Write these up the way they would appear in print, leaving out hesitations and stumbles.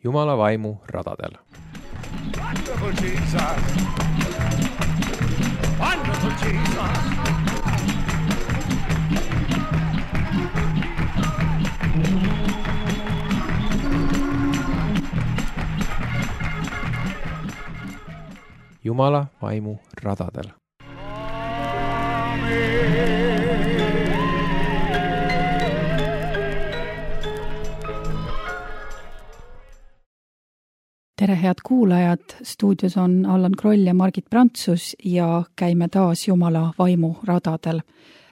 Jumala vaimu radadel. Wonderful Jesus! Wonderful Jesus! Jumala vaimu radadel. Tere head kuulajad, stuudios on Allan Kroll ja Margit Prantsus ja käime taas Jumala vaimu radadel.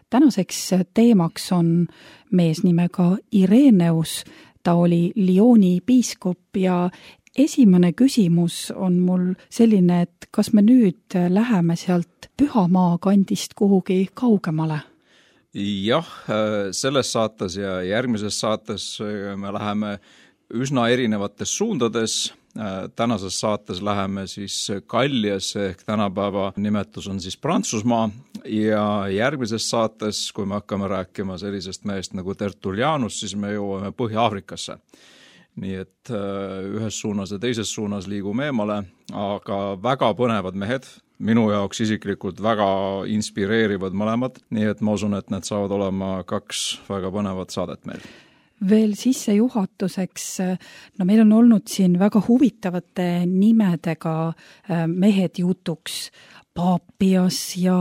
Tänaseks teemaks on mees nimega Ireneus, ta oli Lyoni piiskop ja esimene küsimus on mul selline, et kas me nüüd läheme sealt Pühamaa kandist kuhugi kaugemale? Jah, selles saates ja järgmises saates me läheme üsna erinevates suundades. Tänases saates läheme siis Galliasse ehk tänapäeva nimetus on siis Prantsusmaa ja järgmises saates, kui me hakkame rääkima sellisest mehest nagu Tertullianus, siis me jõuame Põhja-Aafrikasse. Nii et ühes suunas ja teises suunas liigume eemale, aga väga põnevad mehed, minu jaoks isiklikult väga inspireerivad mõlemad, nii et ma usun, et need saavad olema 2 väga põnevat saadet meil. Veel sissejuhatuseks, meil on olnud siin väga huvitavate nimedega mehed jutuks, Papias ja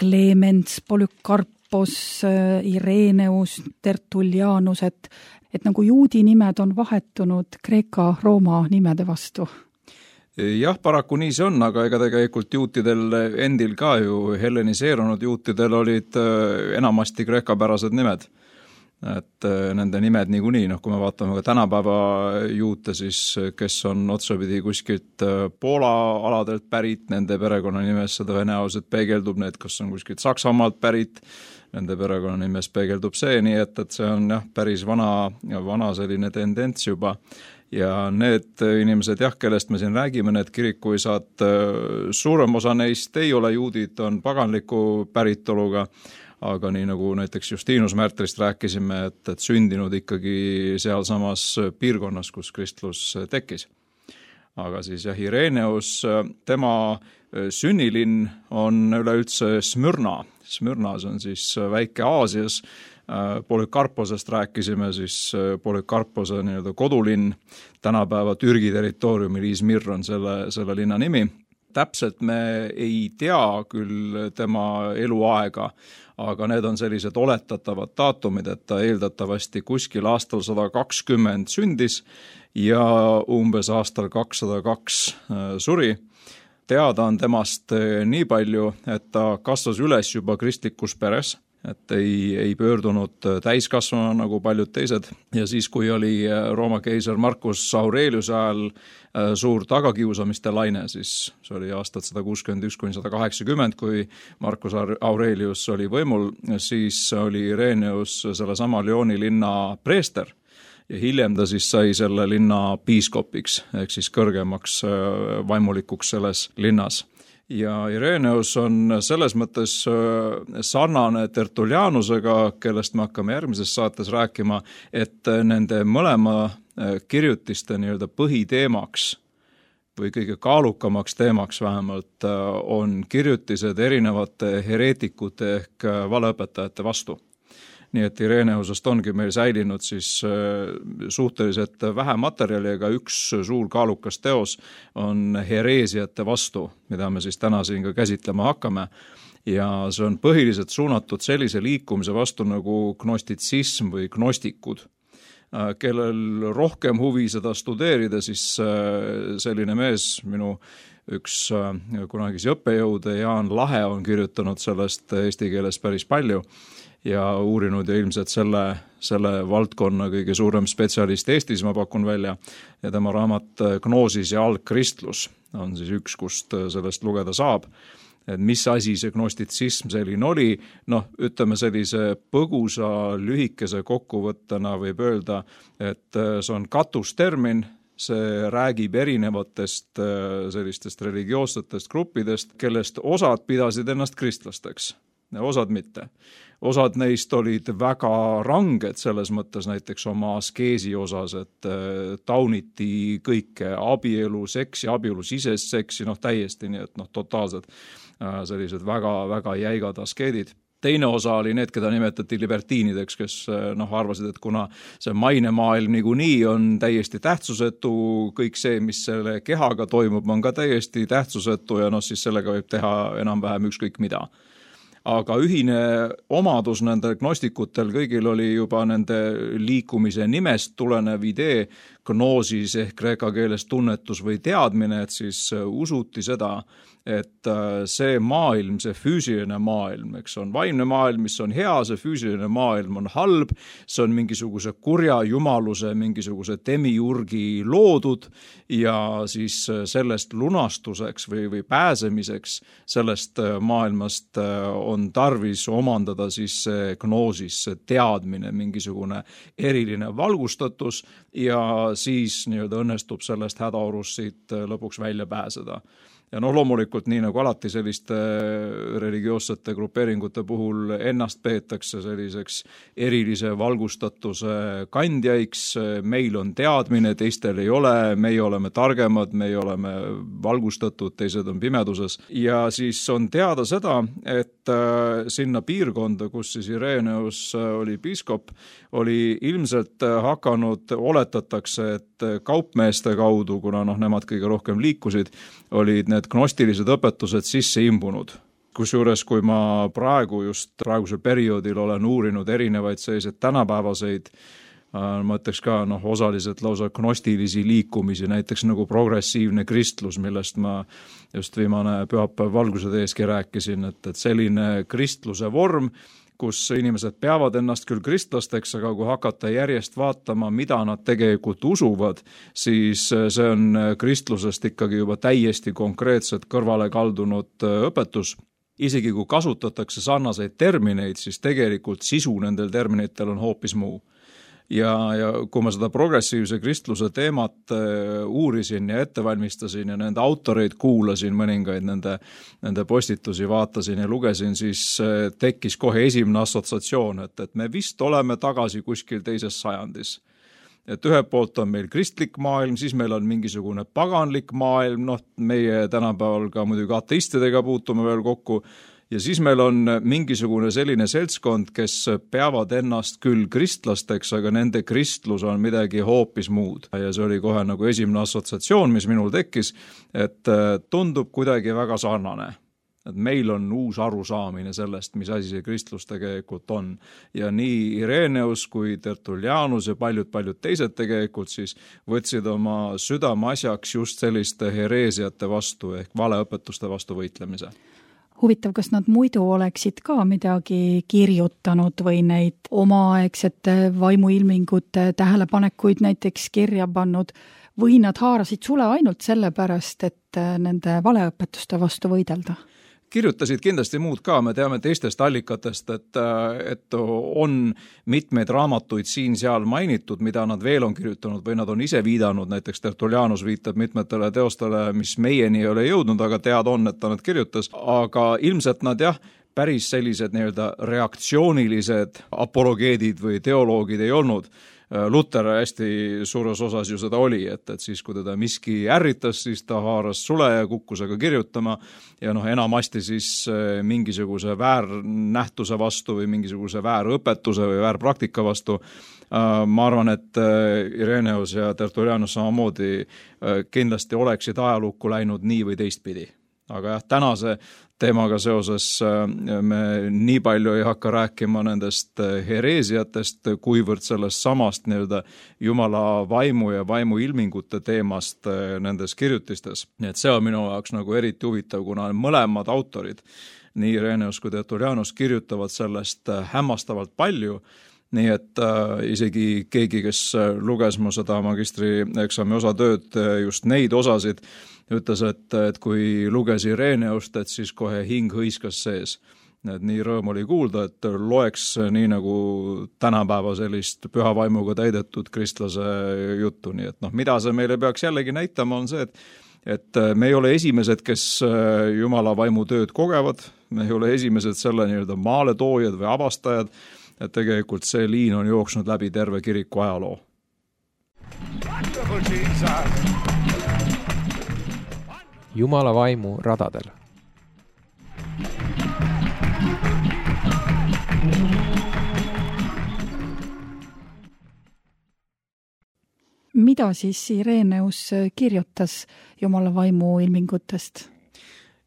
Clemens, Polycarpos, Ireneus, Tertullianus, et nagu juudi nimed on vahetunud Kreeka-Rooma nimede vastu. Jah, paraku nii see on, aga ega tegelikult juutidel endil ka ju helleniseerunud juutidel olid enamasti kreekapärased nimed. Et nende nimed niikuinii, kui me vaatame ka tänapäeva juute, siis kes on otsapidi kuskilt Poola aladelt pärit, nende perekonnanimesse tõenäoliselt peegeldub need, kas on kuskilt Saksamaalt pärit, nende perekonnanimes peegeldub see, nii et see on päris vana selline tendents juba. Ja need inimesed, kellest me siin räägime, need kirikuisad, suurem osa neist ei ole juudid, on paganliku päritoluga, aga nii nagu näiteks Justinus Märtrist rääkisime, et sündinud ikkagi sealsamas piirkonnas, kus kristlus tekkis. Aga siis Ireneus, tema sünnilinn on üleüldse Smyrna. Smyrnas on siis väike Aasias. Polycarposest rääkisime, siis Polycarpose kodulinn, tänapäeva Türgi territooriumil Izmir on selle linna nimi. Täpselt me ei tea küll tema eluaega, aga need on sellised oletatavad daatumid, et ta eeldatavasti kuskil aastal 120 sündis ja umbes aastal 202 suri. Teada on temast nii palju, et ta kasvas üles juba kristlikus peres, et ei pöördunud täiskasvana nagu paljud teised. Ja siis, kui oli Rooma keiser Marcus Aurelius ajal suur tagakiusamiste laine, siis see oli aastat 161–180, kui Marcus Aurelius oli võimul, siis oli Ireneus sellesama Lyoni linna preester ja hiljem ta siis sai selle linna piiskopiks ehk siis kõrgemaks vaimulikuks selles linnas. Ja Ireneus on selles mõttes sarnane Tertullianusega, kellest me hakkame järgmises saates rääkima, et nende mõlema kirjutiste põhiteemaks või kõige kaalukamaks teemaks vähemalt on kirjutised erinevate hereetikute ehk valeõpetajate vastu. Nii et Ireneusest ongi meil säilinud siis suhteliselt vähe materjali, aga üks suur kaalukas teos on hereesiate vastu, mida me siis täna siin ka käsitlema hakkame. Ja see on põhiliselt suunatud sellise liikumise vastu nagu gnostitsism või gnostikud. Kellel rohkem huvi seda studeerida, siis selline mees, minu üks kunagisi õppejõude Jaan Lahe on kirjutanud sellest eesti keeles päris palju ja uurinud ja ilmselt selle valdkonna kõige suurem spetsialist Eestis, ma pakun välja, ja tema raamat Gnoosis ja algkristlus on siis üks, kust sellest lugeda saab. Et mis asi see gnostitsism selline oli, ütleme sellise põgusa lühikese kokkuvõttena võib öelda, et see on katustermin, see räägib erinevatest sellistest religioossetest gruppidest, kellest osad pidasid ennast kristlasteks. Osad mitte. osad neist olid väga ranged selles mõttes näiteks oma askeesi osas, et tauniti kõike abielu, seksi, abielu sisest seksi, täiesti nii, et totaalselt sellised väga jäigad askeedid. Teine osa oli need, keda nimetati libertiinideks, kes arvasid, et kuna see mainemaailm niikuinii on täiesti tähtsusetu, kõik see, mis selle kehaga toimub, on ka täiesti tähtsusetu ja siis sellega võib teha enam-vähem ükskõik mida. Aga ühine omadus nendel gnostikutel kõigil oli juba nende liikumise nimest tulenev idee, gnoosis ehk kreeka keeles tunnetus või teadmine, et siis usuti seda, et see maailm, see füüsiline maailm, eks on vaimne maailm, mis on hea, see füüsiline maailm on halb, see on mingisuguse kurja jumaluse, mingisuguse demiurgi loodud ja siis sellest lunastuseks või pääsemiseks sellest maailmast on tarvis omandada siis see gnoosis, see teadmine, mingisugune eriline valgustatus ja siis õnnestub sellest hädaorust siit lõpuks välja pääseda. Ja loomulikult nii nagu alati selliste religioossete grupeeringute puhul ennast peetakse selliseks erilise valgustatuse kandjaiks, meil on teadmine, teistel ei ole, meie oleme targemad, meie oleme valgustatud, teised on pimeduses. Ja siis on teada seda, et sinna piirkonda, kus siis Ireneus oli piiskop, oli ilmselt hakanud, oletatakse, et kaupmeeste kaudu, kuna nemad kõige rohkem liikusid, olid need gnostilised õpetused sisse imbunud. Kusjuures, kui ma praegusel perioodil olen uurinud erinevaid selliseid tänapäevaseid, ma ütleks ka osaliselt lausa gnostilisi liikumisi, näiteks nagu progressiivne kristlus, millest ma just viimane pühapäev valguse teeski rääkisin, et selline kristluse vorm, kus inimesed peavad ennast küll kristlasteks, aga kui hakata järjest vaatama, mida nad tegelikult usuvad, siis see on kristlusest ikkagi juba täiesti konkreetselt kõrvale kaldunud õpetus. Isegi kui kasutatakse sarnaseid termineid, siis tegelikult sisu nendel terminitel on hoopis muu. Ja kui ma seda progressiivse kristluse teemat uurisin ja ettevalmistasin ja nende autoreid kuulasin, mõningaid nende postitusi vaatasin ja lugesin, siis tekkis kohe esimene assotsiatsioon, et me vist oleme tagasi kuskil teises sajandis. Et ühe poolt on meil kristlik maailm, siis meil on mingisugune paganlik maailm, meie tänapäeval ka muidugi ateistidega puutume veel kokku, ja siis meil on mingisugune selline seltskond, kes peavad ennast küll kristlasteks, aga nende kristlus on midagi hoopis muud. Ja see oli kohe nagu esimene assotsiatsioon, mis minul tekkis, et tundub kuidagi väga sarnane. Et meil on uus arusaamine sellest, mis asi see kristlus tegelikult on. Ja nii Ireneus kui Tertullianus ja paljud teised tegelikult siis võtsid oma südameasjaks just selliste hereesiate vastu ehk valeõpetuste vastu võitlemise. Huvitav, kas nad muidu oleksid ka midagi kirjutanud või neid omaaegsete vaimuilmingute tähelepanekuid näiteks kirja pannud või nad haarasid sule ainult sellepärast, et nende valeõpetuste vastu võidelda? Kirjutasid kindlasti muud ka, me teame teistest allikatest, et on mitmeid raamatuid siin-seal mainitud, mida nad veel on kirjutanud või nad on ise viidanud, näiteks Tertullianus viitab mitmetele teostele, mis meieni ei ole jõudnud, aga teada on, et ta nad kirjutas, aga ilmselt nad päris sellised reaktsioonilised apologeedid või teoloogid ei olnud. Luter hästi suures osas ju seda oli, et siis kui teda miski ärritas, siis ta haaras sule ja kukkus aga kirjutama ja enamasti siis mingisuguse väärnähtuse vastu või mingisuguse väärõpetuse või väärpraktika vastu. Ma arvan, et Ireneus ja Tertullianus samamoodi kindlasti oleksid ajalukku läinud nii või teistpidi. Aga tänase teemaga seoses me nii palju ei hakka rääkima nendest hereesiatest, kuivõrd sellest samast Jumala vaimu ja vaimu ilmingute teemast nendes kirjutistes. Nii et see on minu jaoks eriti huvitav, kuna mõlemad autorid, nii Ireneus kui Tertullianus, kirjutavad sellest hämmastavalt palju. Nii et isegi keegi, kes luges mu seda magistrieksami osatööd, just neid osasid, ütles, et kui luges Ireneust, et siis kohe hing hõiskas sees. Et nii rõõm oli kuulda, et loeks nii nagu tänapäeva sellist püha vaimuga täidetud kristlase juttu. Nii et mida see meile peaks jällegi näitama on see, et me ei ole esimesed, kes Jumala vaimu tööd kogevad, me ei ole esimesed selle nii-öelda maaletoojad või avastajad, et tegelikult see liin on jooksnud läbi terve kiriku ajaloo. Wonderful Jesus. Jumala vaimu radadel. Mida siis Ireneus kirjutas Jumala vaimu ilmingutest?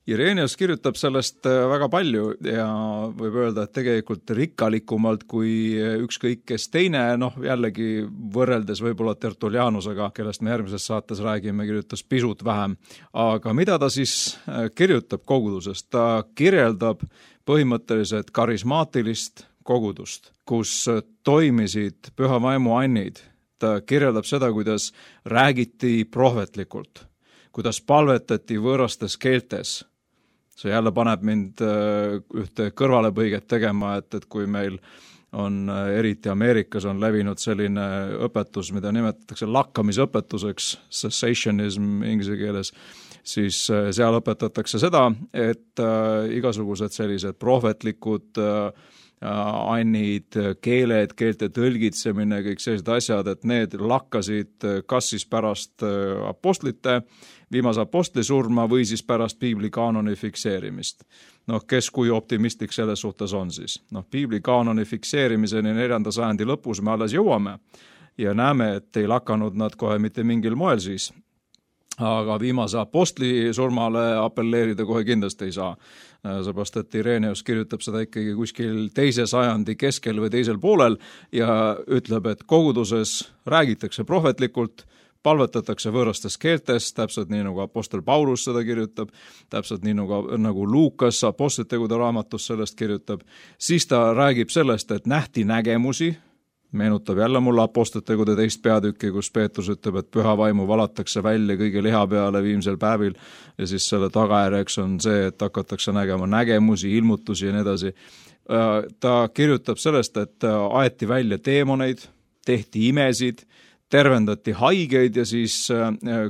Ireneus kirjutab sellest väga palju ja võib öelda, et tegelikult rikkalikumalt kui ükskõik kes teine, jällegi võrreldes võib-olla Tertullianusega, kellest me järgmises saates räägime, kirjutas pisut vähem. Aga mida ta siis kirjutab kogudusest? Ta kirjeldab põhimõtteliselt karismaatilist kogudust, kus toimisid püha vaimu annid. Ta kirjeldab seda, kuidas räägiti prohvetlikult, kuidas palvetati võõrastes keeltes. See jälle paneb mind ühte kõrvalepõiget tegema, et kui meil on eriti Ameerikas on levinud selline õpetus, mida nimetatakse lakkamisõpetuseks, cessationism inglise keeles, siis seal õpetatakse seda, et igasugused sellised prohvetlikud annid, keeled, keelte tõlgitsemine, kõik sellised asjad, et need lakkasid kas siis pärast apostlite, viimase apostli surma või siis pärast piibli kaanoni fikseerimist. Kes kui optimistlik selles suhtes on siis? Piibli kaanoni fikseerimiseni 4. sajandi lõpus me alles jõuame ja näeme, et ei lakanud nad kohe mitte mingil moel siis. Aga viimase apostli surmale apelleerida kohe kindlasti ei saa. Seepärast, et Ireneus kirjutab seda ikkagi kuskil 2. sajandi keskel või teisel poolel ja ütleb, et koguduses räägitakse prohvetlikult, palvetatakse võõrastes keeltes, täpselt nii nagu apostel Paulus seda kirjutab, täpselt nii nagu Luukas apostlitegude raamatus sellest kirjutab, siis ta räägib sellest, et nähti nägemusi, meenutab jälle mulle apostlitegude 2. peatükki, kus Peetrus ütleb, et püha vaimu valatakse välja kõige liha peale viimsel päevil ja siis selle tagajärjeks on see, et hakatakse nägema nägemusi, ilmutusi ja nii edasi. Ta kirjutab sellest, et aeti välja teemoneid, tehti imesid, tervendati haigeid ja siis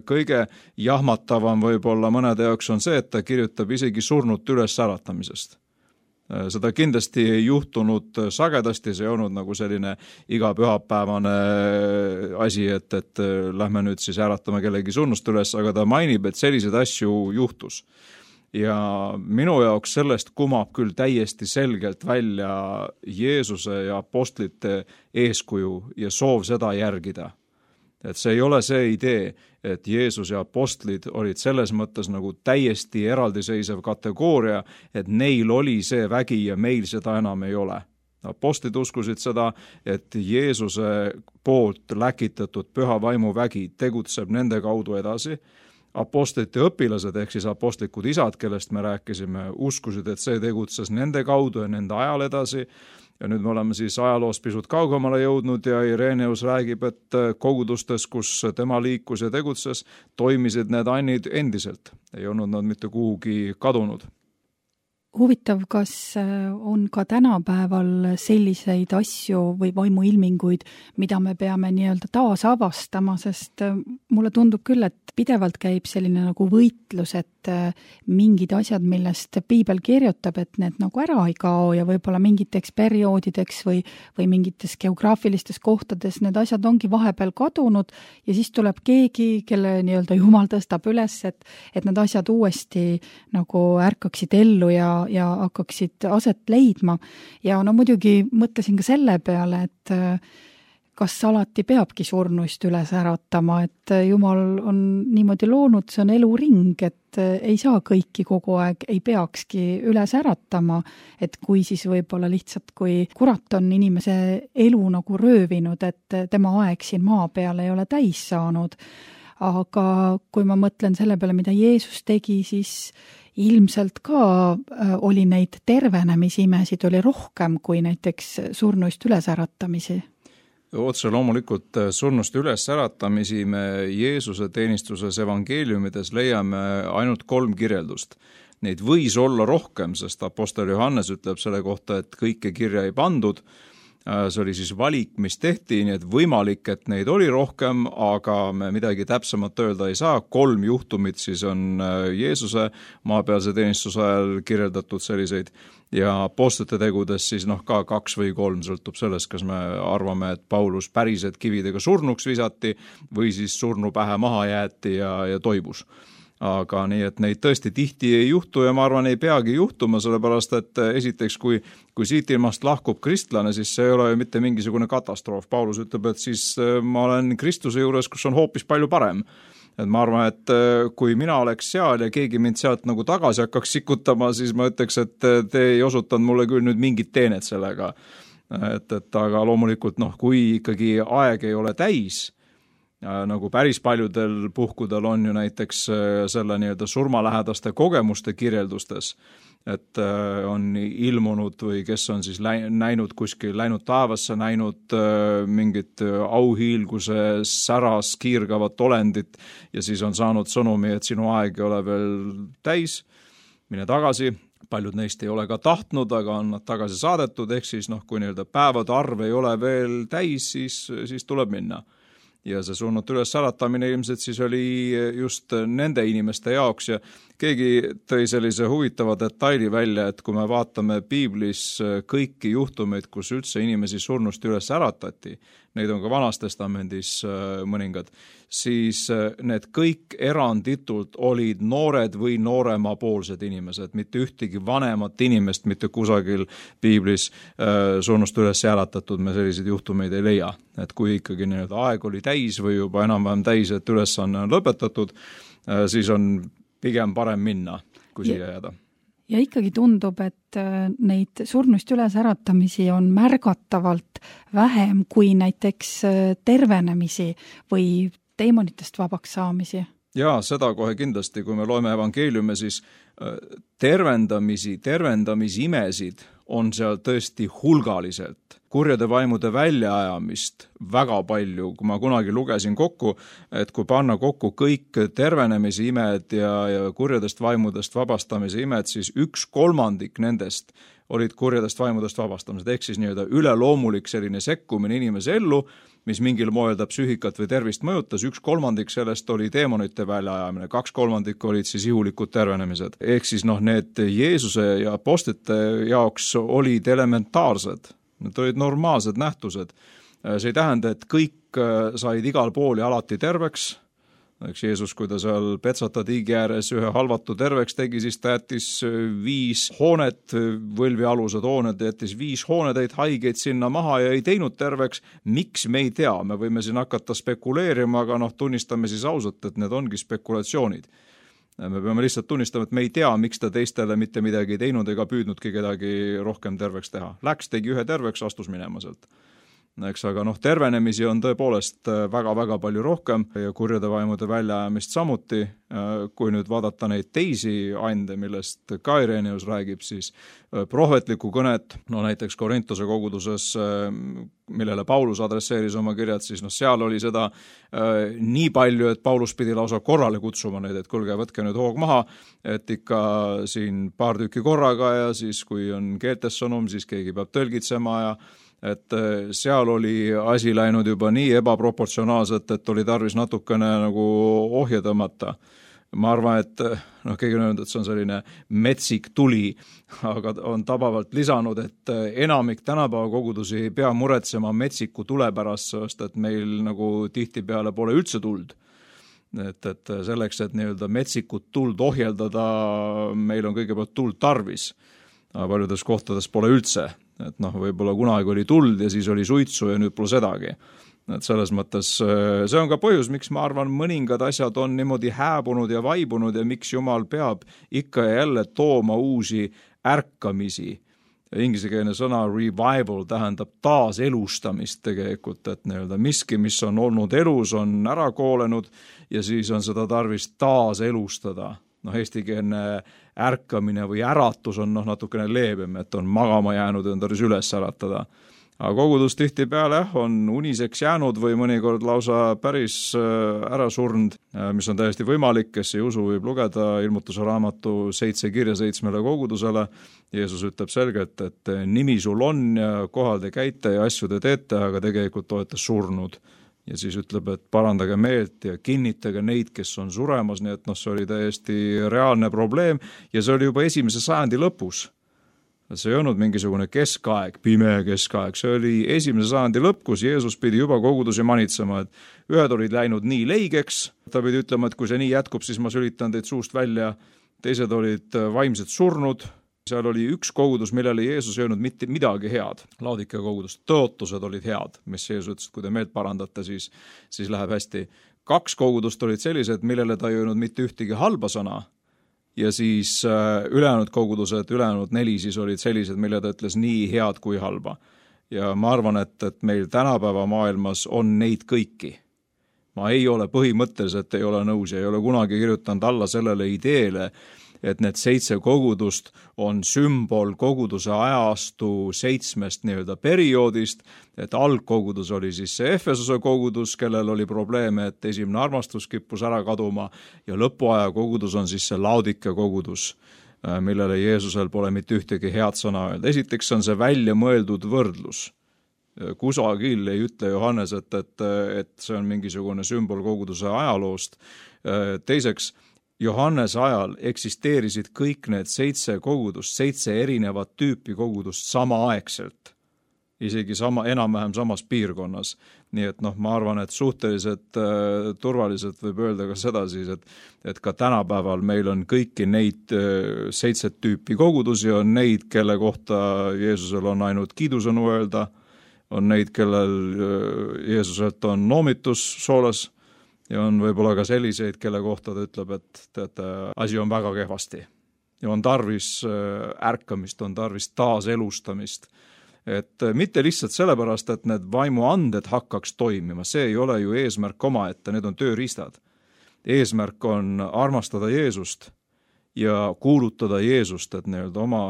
kõige jahmatavam võib-olla mõnede jaoks on see, et ta kirjutab isegi surnut üles äratamisest. Seda kindlasti ei juhtunud sagedasti, see ei olnud nagu selline iga pühapäevane asi, et lähme nüüd siis äratame kellegi surnust üles, aga ta mainib, et selliseid asju juhtus. Ja minu jaoks sellest kumab küll täiesti selgelt välja Jeesuse ja apostlite eeskuju ja soov seda järgida. Et see ei ole see idee, et Jeesus ja apostlid olid selles mõttes nagu täiesti eraldiseisev kategooria, et neil oli see vägi ja meil seda enam ei ole. Apostlid uskusid seda, et Jeesuse poolt läkitatud püha vaimu vägi tegutseb nende kaudu edasi. Apostlite õpilased ehk siis apostlikud isad, kellest me rääkisime, uskusid, et see tegutses nende kaudu ja nende ajal edasi. Ja nüüd me oleme siis ajaloos pisut kaugemale jõudnud ja Ireneus räägib, et kogudustes, kus tema liikus ja tegutses, toimisid need annid endiselt. Ei olnud nad mitte kuhugi kadunud. Huvitav, kas on ka tänapäeval selliseid asju või vaimuilminguid, mida me peame nii-öelda taas avastama, sest mulle tundub küll, et pidevalt käib selline nagu võitlus, et mingid asjad, millest piibel kirjutab, et need nagu ära ei kao ja võib-olla mingiteks perioodideks või mingites geograafilistes kohtades need asjad ongi vahepeal kadunud ja siis tuleb keegi, kelle nii-öelda Jumal tõstab üles, et need asjad uuesti nagu ärkaksid ellu ja hakkaksid aset leidma. Ja muidugi mõtlesin ka selle peale, et kas alati peabki surnuist üles äratama, et Jumal on niimoodi loonud, see on eluring, et ei saa kõiki kogu aeg, ei peakski üles äratama, et kui siis võib-olla lihtsalt, kui kurat on inimese elu nagu röövinud, et tema aeg siin maa peal ei ole täis saanud. Aga kui ma mõtlen selle peale, mida Jeesus tegi, siis ilmselt ka oli neid tervenemisimesid oli rohkem kui näiteks surnuist ülesäratamisi. Otse loomulikult surnust ülesäratamisi me Jeesuse teenistuses evangeeliumides leiame ainult 3 kirjeldust. Neid võis olla rohkem, sest apostel Johannes ütleb selle kohta, et kõike kirja ei pandud, see oli siis valik, mis tehti, nii et võimalik, et neid oli rohkem, aga me midagi täpsemalt öelda ei saa. 3 juhtumit siis on Jeesuse maapealse teenistuse ajal kirjeldatud selliseid ja apostlite tegudes siis ka 2 või 3, sõltub sellest, kas me arvame, et Paulus päriselt kividega surnuks visati või siis surnu pähe maha jäeti ja toibus. Aga nii, et neid tõesti tihti ei juhtu ja ma arvan, ei peagi juhtuma, sellepärast et esiteks, kui siit ilmast lahkub kristlane, siis see ei ole ju mitte mingisugune katastroof. Paulus ütleb, et siis ma olen Kristuse juures, kus on hoopis palju parem. Et ma arvan, et kui mina oleks seal ja keegi mind sealt nagu tagasi hakkaks sikutama, siis ma ütleks, et te ei osutanud mulle küll nüüd mingit teenet sellega. Aga loomulikult, kui ikkagi aeg ei ole täis, nagu päris paljudel puhkudel on ju näiteks selle nii-öelda surmalähedaste kogemuste kirjeldustes, et on ilmunud või kes on siis näinud kuskil, läinud taevasse, näinud mingit auhiilguse säras kiirgavat olendit ja siis on saanud sõnumi, et sinu aeg ei ole veel täis, mine tagasi. Paljud neist ei ole ka tahtnud, aga on nad tagasi saadetud, ehk siis kui nii-öelda päevade arv ei ole veel täis, siis tuleb minna. Ja see surnute üles äratamine ilmselt siis oli just nende inimeste jaoks ja keegi tõi sellise huvitava detaili välja, et kui me vaatame piiblis kõiki juhtumeid, kus üldse inimesi surnust üles äratati, neid on ka Vanas Testamendis mõningad, siis need kõik eranditult olid noored või nooremapoolsed inimesed, mitte ühtegi vanemat inimest, mitte kusagil piiblis surnust üles äratatud, me selliseid juhtumeid ei leia. Et kui ikkagi nii-öelda aeg oli täis või juba enam-vähem täis, et ülesanne on lõpetatud, siis on pigem parem minna, kui siia jääda. Ja ikkagi tundub, et neid surnust üles äratamisi on märgatavalt vähem kui näiteks tervenemisi või teemonitest vabaks saamisi. Jaa, seda kohe kindlasti, kui me loeme evangeeliume, siis tervendamisimesid on seal tõesti hulgaliselt. Kurjade vaimude väljaajamist väga palju, kui ma kunagi lugesin kokku, et kui panna kokku kõik tervenemise imed ja kurjadest vaimudest vabastamise imed, siis 1/3 nendest olid kurjadest vaimudest vabastamised, ehk siis nii-öelda üleloomulik selline sekkumine inimese ellu, mis mingil moel ta psüühikat või tervist mõjutas, 1/3 sellest oli teemonite väljaajamine, 2/3 olid siis ihulikud tervenemised. Ehk siis need Jeesuse ja apostlite jaoks olid elementaarsed, need olid normaalsed nähtused. See ei tähenda, et kõik said igal pool ja alati terveks. Eks Jeesus, kui ta seal Petsata tiigi ääres ühe halvatu terveks tegi, siis ta jättis 5 hoonet, võlvialused hooned, jättis 5 hoonetäit haigeid sinna maha ja ei teinud terveks. Miks me ei tea, me võime siin hakata spekuleerima, aga tunnistame siis ausalt, et need ongi spekulatsioonid. Me peame lihtsalt tunnistama, et me ei tea, miks ta teistele mitte midagi ei teinud ega püüdnudki kedagi rohkem terveks teha. Läks, tegi ühe terveks, astus minema sealt. Eks, aga tervenemisi on tõepoolest väga-väga palju rohkem ja kurjade vaimude väljaajamist samuti. Kui nüüd vaadata neid teisi ande, millest ka Ireneus räägib, siis prohvetlikku kõnet, näiteks Korintuse koguduses, millele Paulus adresseeris oma kirjad, siis seal oli seda nii palju, et Paulus pidi lausa korrale kutsuma neid, et kuulge, võtke nüüd hoog maha, et ikka siin paar tükki korraga ja siis kui on keeltes sõnum, siis keegi peab tõlgitsema ja et seal oli asi läinud juba nii ebaproportsionaalselt, et oli tarvis natukene nagu ohje tõmmata. Ma arvan, et keegi on öelnud, et see on selline metsik tuli, aga on tabavalt lisanud, et enamik tänapäeva kogudusi ei pea muretsema metsiku tule pärast, sest et meil nagu tihtipeale pole üldse tuld. Et selleks, et nii-öelda metsikut tuld ohjeldada, meil on kõigepealt tuld tarvis. Paljudes kohtades pole üldse. Et võib-olla kunagi oli tuld ja siis oli suitsu ja nüüd pole sedagi. Et selles mõttes see on ka põhjus, miks ma arvan, mõningad asjad on niimoodi hääbunud ja vaibunud ja miks Jumal peab ikka ja jälle tooma uusi ärkamisi. Ingliskeelne sõna revival tähendab taaselustamist tegelikult, et nii-öelda miski, mis on olnud elus, on ära koolenud ja siis on seda tarvis taaselustada. Eestikeelne ärkamine või äratus on natukene leebem, et on magama jäänud ja on tarvis üles äratada. Aga kogudus tihtipeale on uniseks jäänud või mõnikord lausa päris ära surnud, mis on täiesti võimalik, kes ei usu, võib lugeda Ilmutuse raamatu 7 kirja 7 kogudusele. Jeesus ütleb selgelt, et nimi sul on ja kohal te käite ja asju te teete, aga tegelikult olete surnud. Ja siis ütleb, et parandage meelt ja kinnitage neid, kes on suremas, nii et see oli täiesti reaalne probleem ja see oli juba 1. sajandi lõpus. See ei olnud mingisugune keskaeg, pime keskaeg, see oli 1. sajandi lõpp, kus Jeesus pidi juba kogudusi manitsema, et ühed olid läinud nii leigeks, ta pidi ütlema, et kui see nii jätkub, siis ma sülitan teid suust välja, teised olid vaimselt surnud, seal oli üks kogudus, millele Jeesus ei öelnud mitte midagi head, Laodikea kogudus, tõotused olid head, mis Jeesus ütles, et kui te meelt parandate, siis läheb hästi. 2 kogudust olid sellised, millele ta ei öelnud mitte ühtegi halba sõna, ja siis ülejäänud kogudused, ülejäänud 4 siis olid sellised, mille ta ütles nii head kui halba. Ja ma arvan, et meil tänapäeva maailmas on neid kõiki. Ma ei ole põhimõtteliselt, ei ole nõus ja ei ole kunagi kirjutanud alla sellele ideele, et need 7 kogudust on sümbol koguduse ajastu 7 perioodist, et algkogudus oli siis see Efesuse kogudus, kellel oli probleeme, et esimene armastus kippus ära kaduma ja lõpuaja kogudus on siis see Laodikea kogudus, millele Jeesusel pole mitte ühtegi head sõna öelda. Esiteks on see välja mõeldud võrdlus. Kusagil ei ütle Johannes, et see on mingisugune sümbol koguduse ajaloost. Teiseks, Johannese ajal eksisteerisid kõik need 7 kogudust, 7 erinevat tüüpi kogudust samaaegselt, isegi enam-vähem samas piirkonnas. Nii et ma arvan, et suhteliselt turvaliselt võib öelda ka seda siis, et ka tänapäeval meil on kõiki neid 7 tüüpi kogudusi, on neid, kelle kohta Jeesusel on ainult kiidusõnu öelda, on neid, kellel Jeesuselt on noomitus soolas, ja on võib-olla ka selliseid, kelle kohta ta ütleb, et teate, asi on väga kehvasti. Ja on tarvis ärkamist, on tarvis taaselustamist. Et mitte lihtsalt sellepärast, et need vaimuanded hakkaks toimima, see ei ole ju eesmärk omaette, need on tööriistad. Eesmärk on armastada Jeesust ja kuulutada Jeesust, et oma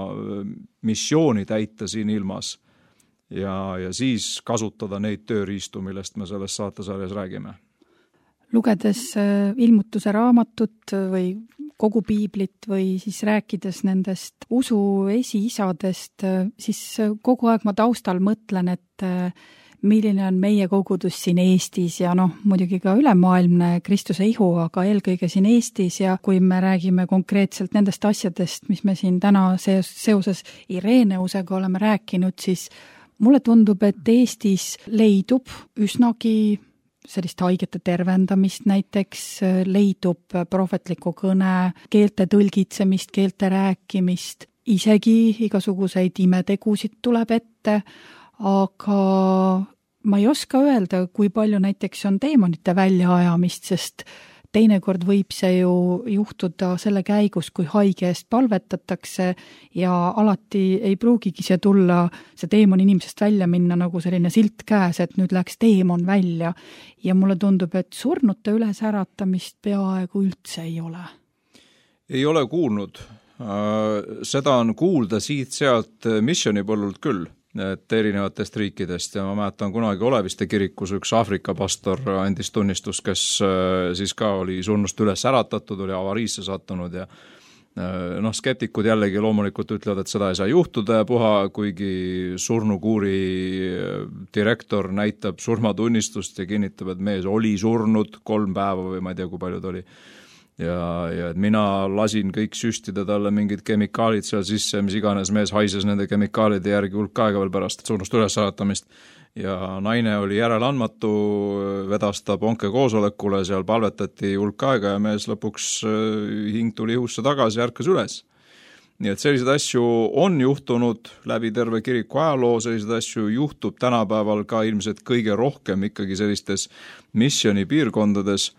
missiooni täita siin ilmas ja siis kasutada neid tööriistu, millest me selles saatesarjas räägime. Lugedes Ilmutuse raamatut või kogu piiblit või siis rääkides nendest usu esiisadest, siis kogu aeg ma taustal mõtlen, et milline on meie kogudus siin Eestis ja muidugi ka ülemaailmne Kristuse ihu, aga eelkõige siin Eestis ja kui me räägime konkreetselt nendest asjadest, mis me siin täna seoses Ireneusega oleme rääkinud, siis mulle tundub, et Eestis leidub üsnagi sellist haigete tervendamist näiteks, leidub prohvetliku kõne, keelte tõlgitsemist, keelte rääkimist, isegi igasuguseid imetegusid tuleb ette, aga ma ei oska öelda, kui palju näiteks on teemonite väljaajamist, sest teinekord võib see ju juhtuda selle käigus, kui haige eest palvetatakse ja alati ei pruugigi see tulla, see teemon inimesest välja minna nagu selline silt käes, et nüüd läks teemon välja. Ja mulle tundub, et surnute ülesäratamist peaaegu üldse ei ole. Ei ole kuulnud. Seda on kuulda siit-sealt missionipõllult küll, et erinevatest riikidest ja ma mäletan kunagi Oleviste kirikus üks Aafrika pastor andis tunnistust, kes siis ka oli surnust üles äratatud, oli avariisse sattunud ja skeptikud jällegi loomulikult ütlevad, et seda ei saa juhtuda ja puha, kuigi surnukuuri direktor näitab surmatunnistust ja kinnitab, et mees oli surnud 3 päeva või ma ei tea, kui palju ta oli. Ja mina lasin kõik süstida talle mingid kemikaalid seal sisse, mis iganes mees haises nende kemikaalide järgi hulk aega veel pärast surnust ülesäratamist. Ja naine oli järeleandmatu, vedas ta ponke koosolekule, seal palvetati hulk aega ja mees lõpuks hing tuli ihusse tagasi ja ärkas üles. Nii et sellised asju on juhtunud läbi terve kiriku ajaloo, sellised asju juhtub tänapäeval ka ilmselt kõige rohkem ikkagi sellistes missioni piirkondades,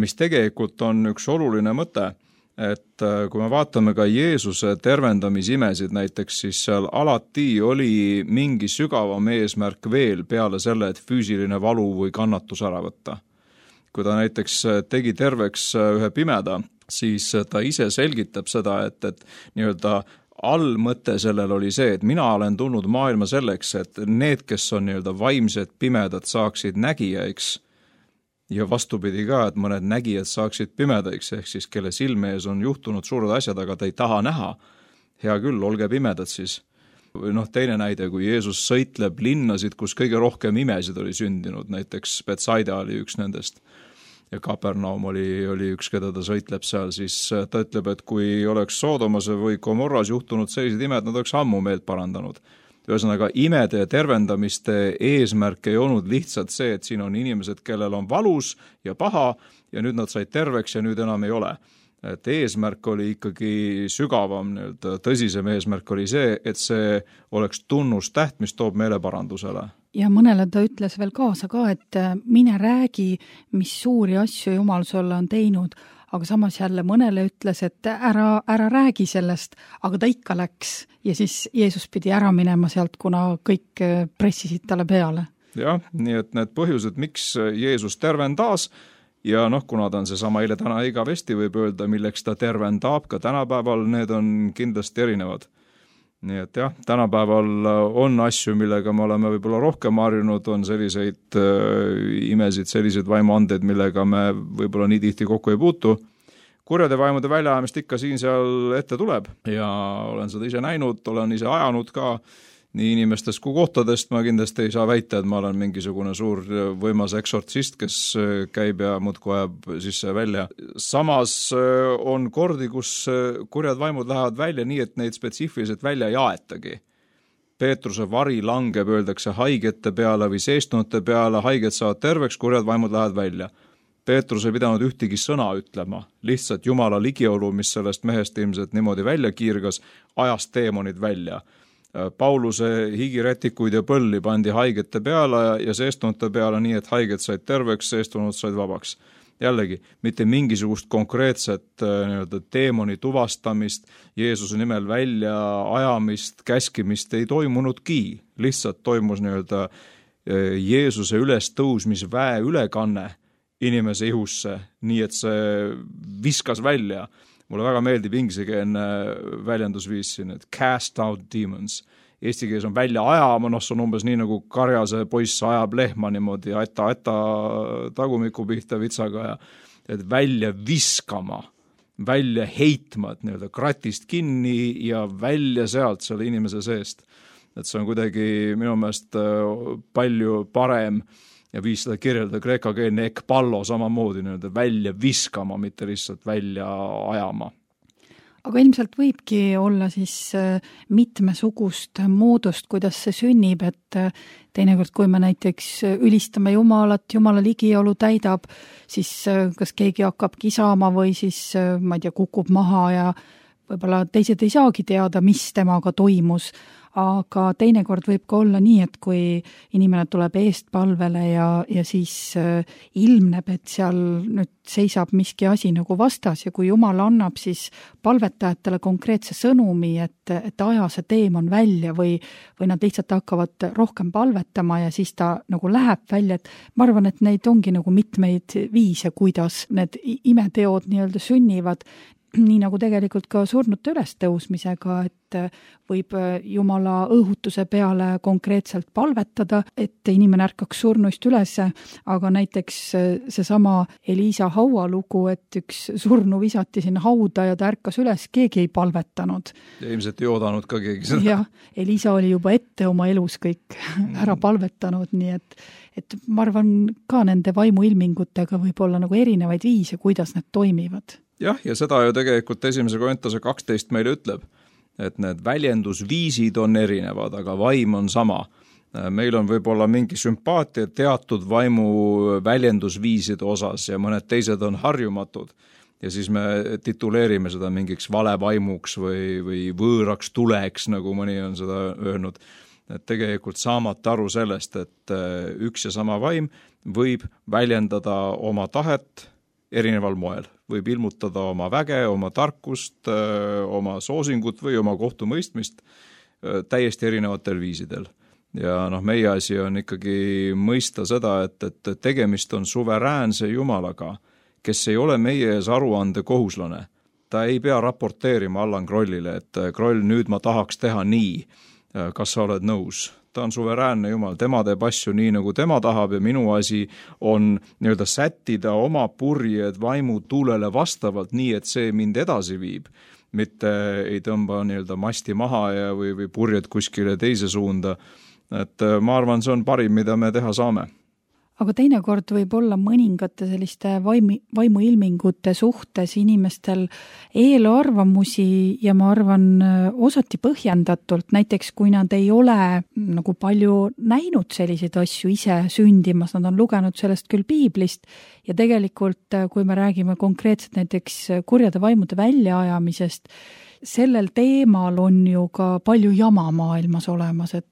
mis tegelikult on üks oluline mõte, et kui me vaatame ka Jeesuse tervendamisimesid näiteks, siis seal alati oli mingi sügavam eesmärk veel peale selle, et füüsiline valu või kannatus ära võtta. Kui ta näiteks tegi terveks ühe pimeda, siis ta ise selgitab seda, et nii-öelda allmõte sellel oli see, et mina olen tulnud maailma selleks, et need, kes on nii-öelda vaimsed pimedad, saaksid nägijaiks ja vastupidi ka, et mõned nägijad saaksid pimedaiks, ehk siis kelle silme ees on juhtunud suured asjad, aga ta ei taha näha. Hea küll, olge pimedad siis. Või teine näide, kui Jeesus sõitleb linnasid, kus kõige rohkem imesid oli sündinud, näiteks Betsaida oli üks nendest ja Kapernaum oli üks, keda ta sõitleb seal, siis ta ütleb, et kui oleks Soodomas või Gomorras juhtunud sellised imed, nad oleks ammu meelt parandanud. Ühesõnaga, imede ja tervendamiste eesmärk ei olnud lihtsalt see, et siin on inimesed, kellel on valus ja paha ja nüüd nad said terveks ja nüüd enam ei ole. Et eesmärk oli ikkagi sügavam, tõsisem eesmärk oli see, et see oleks tunnustäht, mis toob meeleparandusele. Ja mõnele ta ütles veel kaasa ka, et mine räägi, mis suuri asju Jumal sulle on teinud, aga samas jälle mõnele ütles, et ära räägi sellest, aga ta ikka läks ja siis Jeesus pidi ära minema sealt, kuna kõik pressisid talle peale. Jah, nii et need põhjused, miks Jeesus tervendas ja kuna ta on seesama eile täna igavesti võib öelda, milleks ta tervendab ka tänapäeval, need on kindlasti erinevad. Nii et jah, tänapäeval on asju, millega me oleme võib-olla rohkem harjunud, on selliseid imesid, selliseid vaimuandeid, millega me võib-olla nii tihti kokku ei puutu. Kurjade vaimude väljaajamist ikka siin-seal ette tuleb ja olen seda ise näinud, olen ise ajanud ka nii inimestest kui kohtadest. Ma kindlasti ei saa väita, et ma olen mingisugune suur võimas eksortsist, kes käib ja muudkui ajab sisse välja. Samas on kordi, kus kurjad vaimud lähevad välja nii, et neid spetsiifiliselt välja ei aetagi. Peetruse vari langeb, öeldakse haigete peale või seestunute peale, haiged saavad terveks, kurjad vaimud lähevad välja. Peetrus ei pidanud ühtegi sõna ütlema, lihtsalt Jumala ligiolu, mis sellest mehest ilmselt niimoodi välja kiirgas, ajas teemonid välja. Pauluse higirätikuid ja põlli pandi haigete peale ja seestunute peale nii, et haiged said terveks, seestunud said vabaks. Jällegi, mitte mingisugust konkreetset teemoni tuvastamist, Jeesuse nimel välja ajamist, käskimist ei toimunudki. Lihtsalt toimus Jeesuse ülestõusmisväe ülekanne inimese ihusse, nii et see viskas välja. Mulle väga meeldib ingliskeelne väljendusviis siin, et cast out demons. Eesti keeles on välja ajama, see on umbes nii nagu karjase poiss ajab lehma niimoodi, äta tagumiku pihta vitsaga ja et välja viskama, välja heitma, et kratist kinni ja välja sealt selle inimese seest. Et see on kuidagi minu meelest palju parem ja viis seda kirjelda kreekakeelne ekpallo samamoodi välja viskama, mitte lihtsalt välja ajama. Aga ilmselt võibki olla siis mitmesugust moodust, kuidas see sünnib, et teinekord, kui me näiteks ülistame Jumalat, Jumala ligiolu täidab, siis kas keegi hakkab kisama või siis, ma ei tea, kukub maha ja võib-olla teised ei saagi teada, mis temaga toimus. Aga teinekord võib ka olla nii, et kui inimene tuleb eestpalvele ja siis ilmneb, et seal nüüd seisab miski asi nagu vastas ja kui Jumal annab siis palvetajatele konkreetse sõnumi, et aja see teemon välja või nad lihtsalt hakkavad rohkem palvetama ja siis ta nagu läheb välja, et ma arvan, et neid ongi nagu mitmeid viise, kuidas need imeteod nii-öelda sünnivad, nii nagu tegelikult ka surnute ülestõusmisega, et võib Jumala õhutuse peale konkreetselt palvetada, et inimene ärkaks surnuist üles, aga näiteks seesama Elisa haualugu, et üks surnu visati sinna hauda ja ta ärkas üles, keegi ei palvetanud. Ja ilmselt ei oodanud ka keegi seda. Jah, Elisa oli juba ette oma elus kõik ära palvetanud, nii et ma arvan ka nende vaimuilmingutega võib olla nagu erinevaid viise, kuidas need toimivad. Jah, ja seda ju tegelikult 1. Korintuse 12 meile ütleb, et need väljendusviisid on erinevad, aga vaim on sama. Meil on võib-olla mingi sümpaatia teatud vaimu väljendusviiside osas ja mõned teised on harjumatud. Ja siis me tituleerime seda mingiks valevaimuks või võõraks tuleks, nagu mõni on seda öelnud. Et tegelikult saamata aru sellest, et üks ja sama vaim võib väljendada oma tahet erineval moel. Võib ilmutada oma väge, oma tarkust, oma soosingut või oma kohtumõistmist täiesti erinevatel viisidel. Ja meie asi on ikkagi mõista seda, et tegemist on suveräänse Jumalaga, kes ei ole meie ees aruande kohuslane. ta ei pea raporteerima Allan Krollile, et Kroll, nüüd ma tahaks teha nii, kas sa oled nõus. Ta on suveräänne Jumal, tema teeb asju nii, nagu tema tahab ja minu asi on nii-öelda sättida oma purjed vaimu tuulele vastavalt nii, et see mind edasi viib, mitte ei tõmba nii-öelda masti maha ja või purjed kuskile teise suunda. Et ma arvan, see on parim, mida me teha saame. Aga teinekord võib olla mõningate selliste vaimuilmingute suhtes inimestel eelarvamusi ja ma arvan osati põhjendatult, näiteks kui nad ei ole nagu palju näinud selliseid asju ise sündimas, nad on lugenud sellest küll piiblist ja tegelikult kui me räägime konkreetselt näiteks kurjade vaimude väljaajamisest, sellel teemal on ju ka palju jama maailmas olemas, et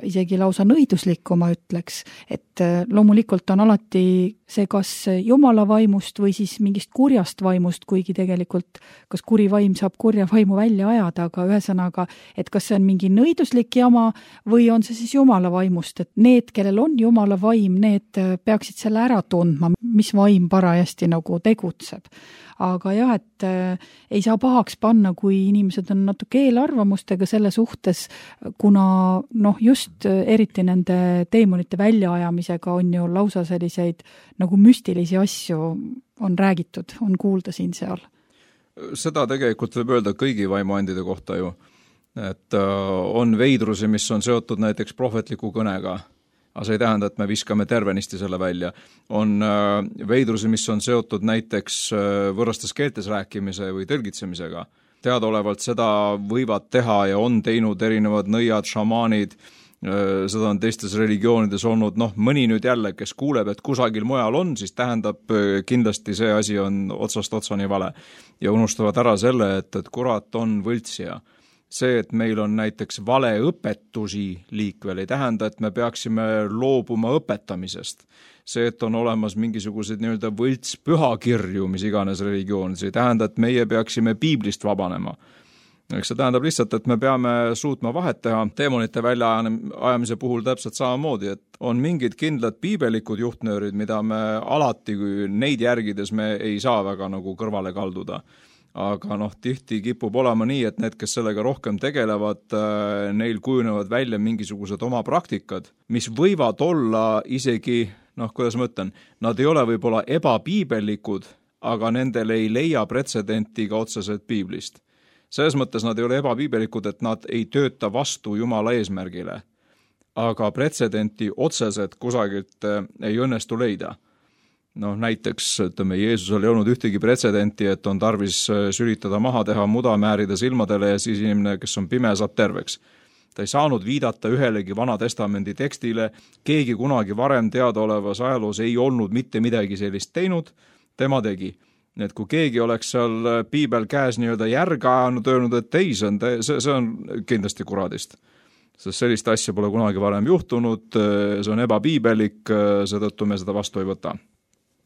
isegi lausa nõiduslikku ma ütleks, et loomulikult on alati see kas Jumala vaimust või siis mingist kurjast vaimust, kuigi tegelikult kas kuri vaim saab kurja vaimu välja ajada, aga ühesõnaga, et kas see on mingi nõiduslik jama või on see siis Jumala vaimust, et need, kellel on Jumala vaim, need peaksid selle ära tundma, mis vaim parajasti nagu tegutseb. Aga jah, et ei saa pahaks panna, kui inimesed on natuke eelarvamustega selle suhtes, kuna just eriti nende teemonite väljaajamisega on ju lausa selliseid nagu müstilisi asju on räägitud, on kuulda siin-seal. Seda tegelikult võib öelda kõigi vaimuandide kohta ju, et on veidrusi, mis on seotud näiteks prohvetliku kõnega, aga see ei tähenda, et me viskame tervenisti selle välja. On veidrusi, mis on seotud näiteks võõrastes keeltes rääkimise või tõlgitsemisega. Teadaolevalt seda võivad teha ja on teinud erinevad nõiad, šamaanid, seda on teistes religioonides olnud, mõni nüüd jälle, kes kuuleb, et kusagil mujal on, siis tähendab kindlasti see asi on otsast otsani vale. Ja unustavad ära selle, et kurat on võltsija. See, et meil on näiteks valeõpetusi liikvel, ei tähenda, et me peaksime loobuma õpetamisest. See, et on olemas mingisugused nii-öelda võlts pühakirju, mis iganes religioonis, ei tähenda, et meie peaksime piiblist vabanema. See tähendab lihtsalt, et me peame suutma vahet teha teemonite väljaajamise puhul täpselt samamoodi, et on mingid kindlad piibelikud juhtnöörid, mida me alati, kui neid järgides me ei saa väga nagu kõrvale kalduda. Aga tihti kipub olema nii, et need, kes sellega rohkem tegelevad, neil kujunevad välja mingisugused oma praktikad, mis võivad olla isegi, kuidas ma ütlen, nad ei ole võib-olla ebapiibelikud, aga nendel ei leia pretsedenti ka otseselt piiblist. Selles mõttes nad ei ole ebapiibelikud, et nad ei tööta vastu Jumala eesmärgile, aga pretsedenti otseselt kusagilt ei õnnestu leida. Näiteks, ütleme, Jeesusel ei olnud ühtegi pretsedenti, et on tarvis sülitada maha teha, muda määrida silmadele ja siis inimene, kes on pime, saab terveks. Ta ei saanud viidata ühelegi Vana Testamendi tekstile, keegi kunagi varem teadaolevas ajaloos ei olnud mitte midagi sellist teinud, tema tegi. Nii et kui keegi oleks seal piibel käes nii-öelda järga ajanud, öelnud, et ei, see on kindlasti kuradist. Sest sellist asja pole kunagi varem juhtunud, see on ebapiibelik, seetõttu me seda vastu ei võta.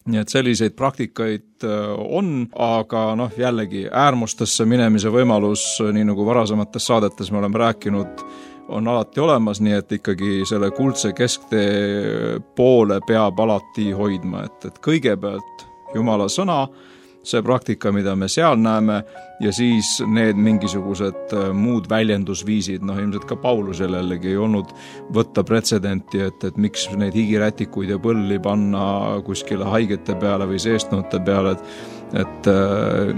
Nii et selliseid praktikaid on, aga jällegi äärmustesse minemise võimalus, nii nagu varasemates saadetes me oleme rääkinud, on alati olemas, nii et ikkagi selle kuldse kesktee poole peab alati hoidma, et kõigepealt Jumala sõna, see praktika, mida me seal näeme, ja siis need mingisugused muud väljendusviisid, ilmselt ka Paulusel jällegi ei olnud võtta pretsedenti, et miks neid higirätikuid ja põlli panna kuskile haigete peale või seestnute peale, et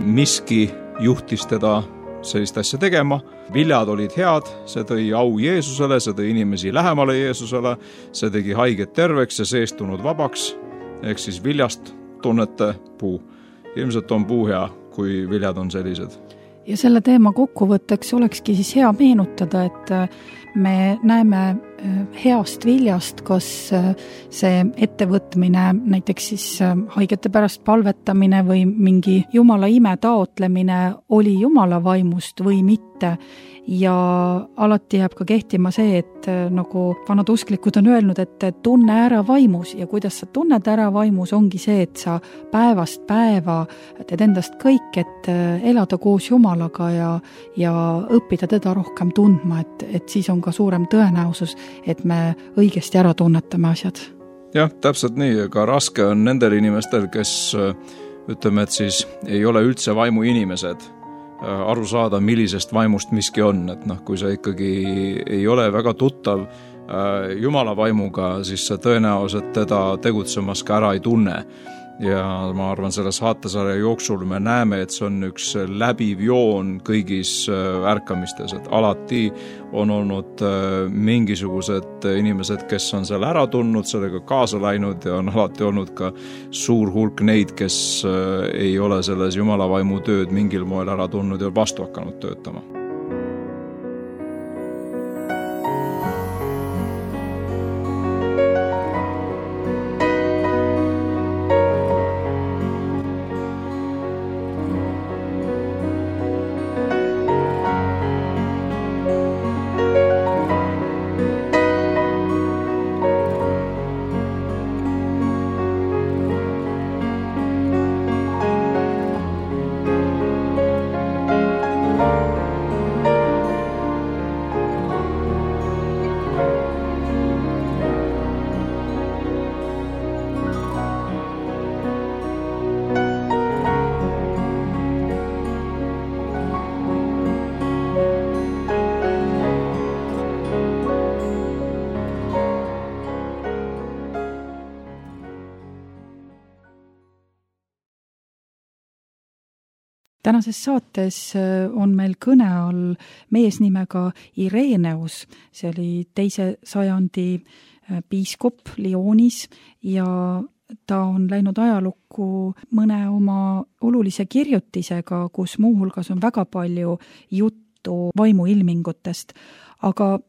miski juhtis teda sellist asja tegema, viljad olid head, see tõi au Jeesusele, see tõi inimesi lähemale Jeesusele, see tegi haiget terveks ja seestunud vabaks, ehk siis viljast tunnete puu. Ilmselt on puu hea, kui viljad on sellised. Ja selle teema kokkuvõtteks olekski siis hea meenutada, et me näeme heast viljast, kas see ettevõtmine, näiteks siis haigete pärast palvetamine või mingi Jumala ime taotlemine oli Jumala vaimust või mitte. Ja alati jääb ka kehtima see, et nagu vanad usklikud on öelnud, et tunne ära vaimus ja kuidas sa tunned ära vaimus ongi see, et sa päevast päeva teed endast kõik, et elada koos Jumalaga ja õppida teda rohkem tundma, et siis on ka suurem tõenäosus, et me õigesti ära tunnetame asjad. Jah, täpselt nii, aga raske on nendel inimestel, kes ütleme, et siis ei ole üldse vaimu inimesed aru saada, millisest vaimust miski on, et kui sa ikkagi ei ole väga tuttav Jumala vaimuga, siis sa tõenäoliselt teda tegutsemas ka ära ei tunne. Ja ma arvan, selle saatesarja jooksul me näeme, et see on üks läbiv joon kõigis ärkamistes, et alati on olnud mingisugused inimesed, kes on selle ära tundnud, sellega kaasa läinud ja on alati olnud ka suur hulk neid, kes ei ole selles Jumala vaimu tööd mingil moel ära tundnud ja vastu hakanud töötama. Tänases saates on meil kõne all mees nimega Ireneus, see oli 2. sajandi piiskop Lyonis ja ta on läinud ajalukku mõne oma olulise kirjutisega, kus muuhulgas on väga palju juttu vaimuilmingutest, aga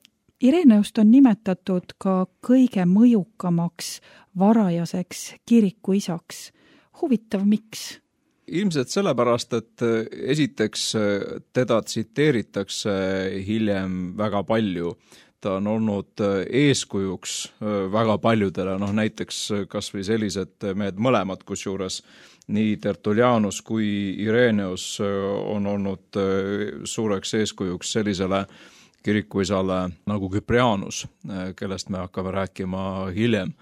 Ireneust on nimetatud ka kõige mõjukamaks varajaseks kirikuisaks. Huvitav, miks? Ilmselt sellepärast, et esiteks teda tsiteeritakse hiljem väga palju. Ta on olnud eeskujuks väga paljudele, näiteks kas või sellised mehed mõlemad, kusjuures nii Tertullianus kui Ireneus on olnud suureks eeskujuks sellisele kirikuisale nagu Cyprianus, kellest me hakkame rääkima hiljem.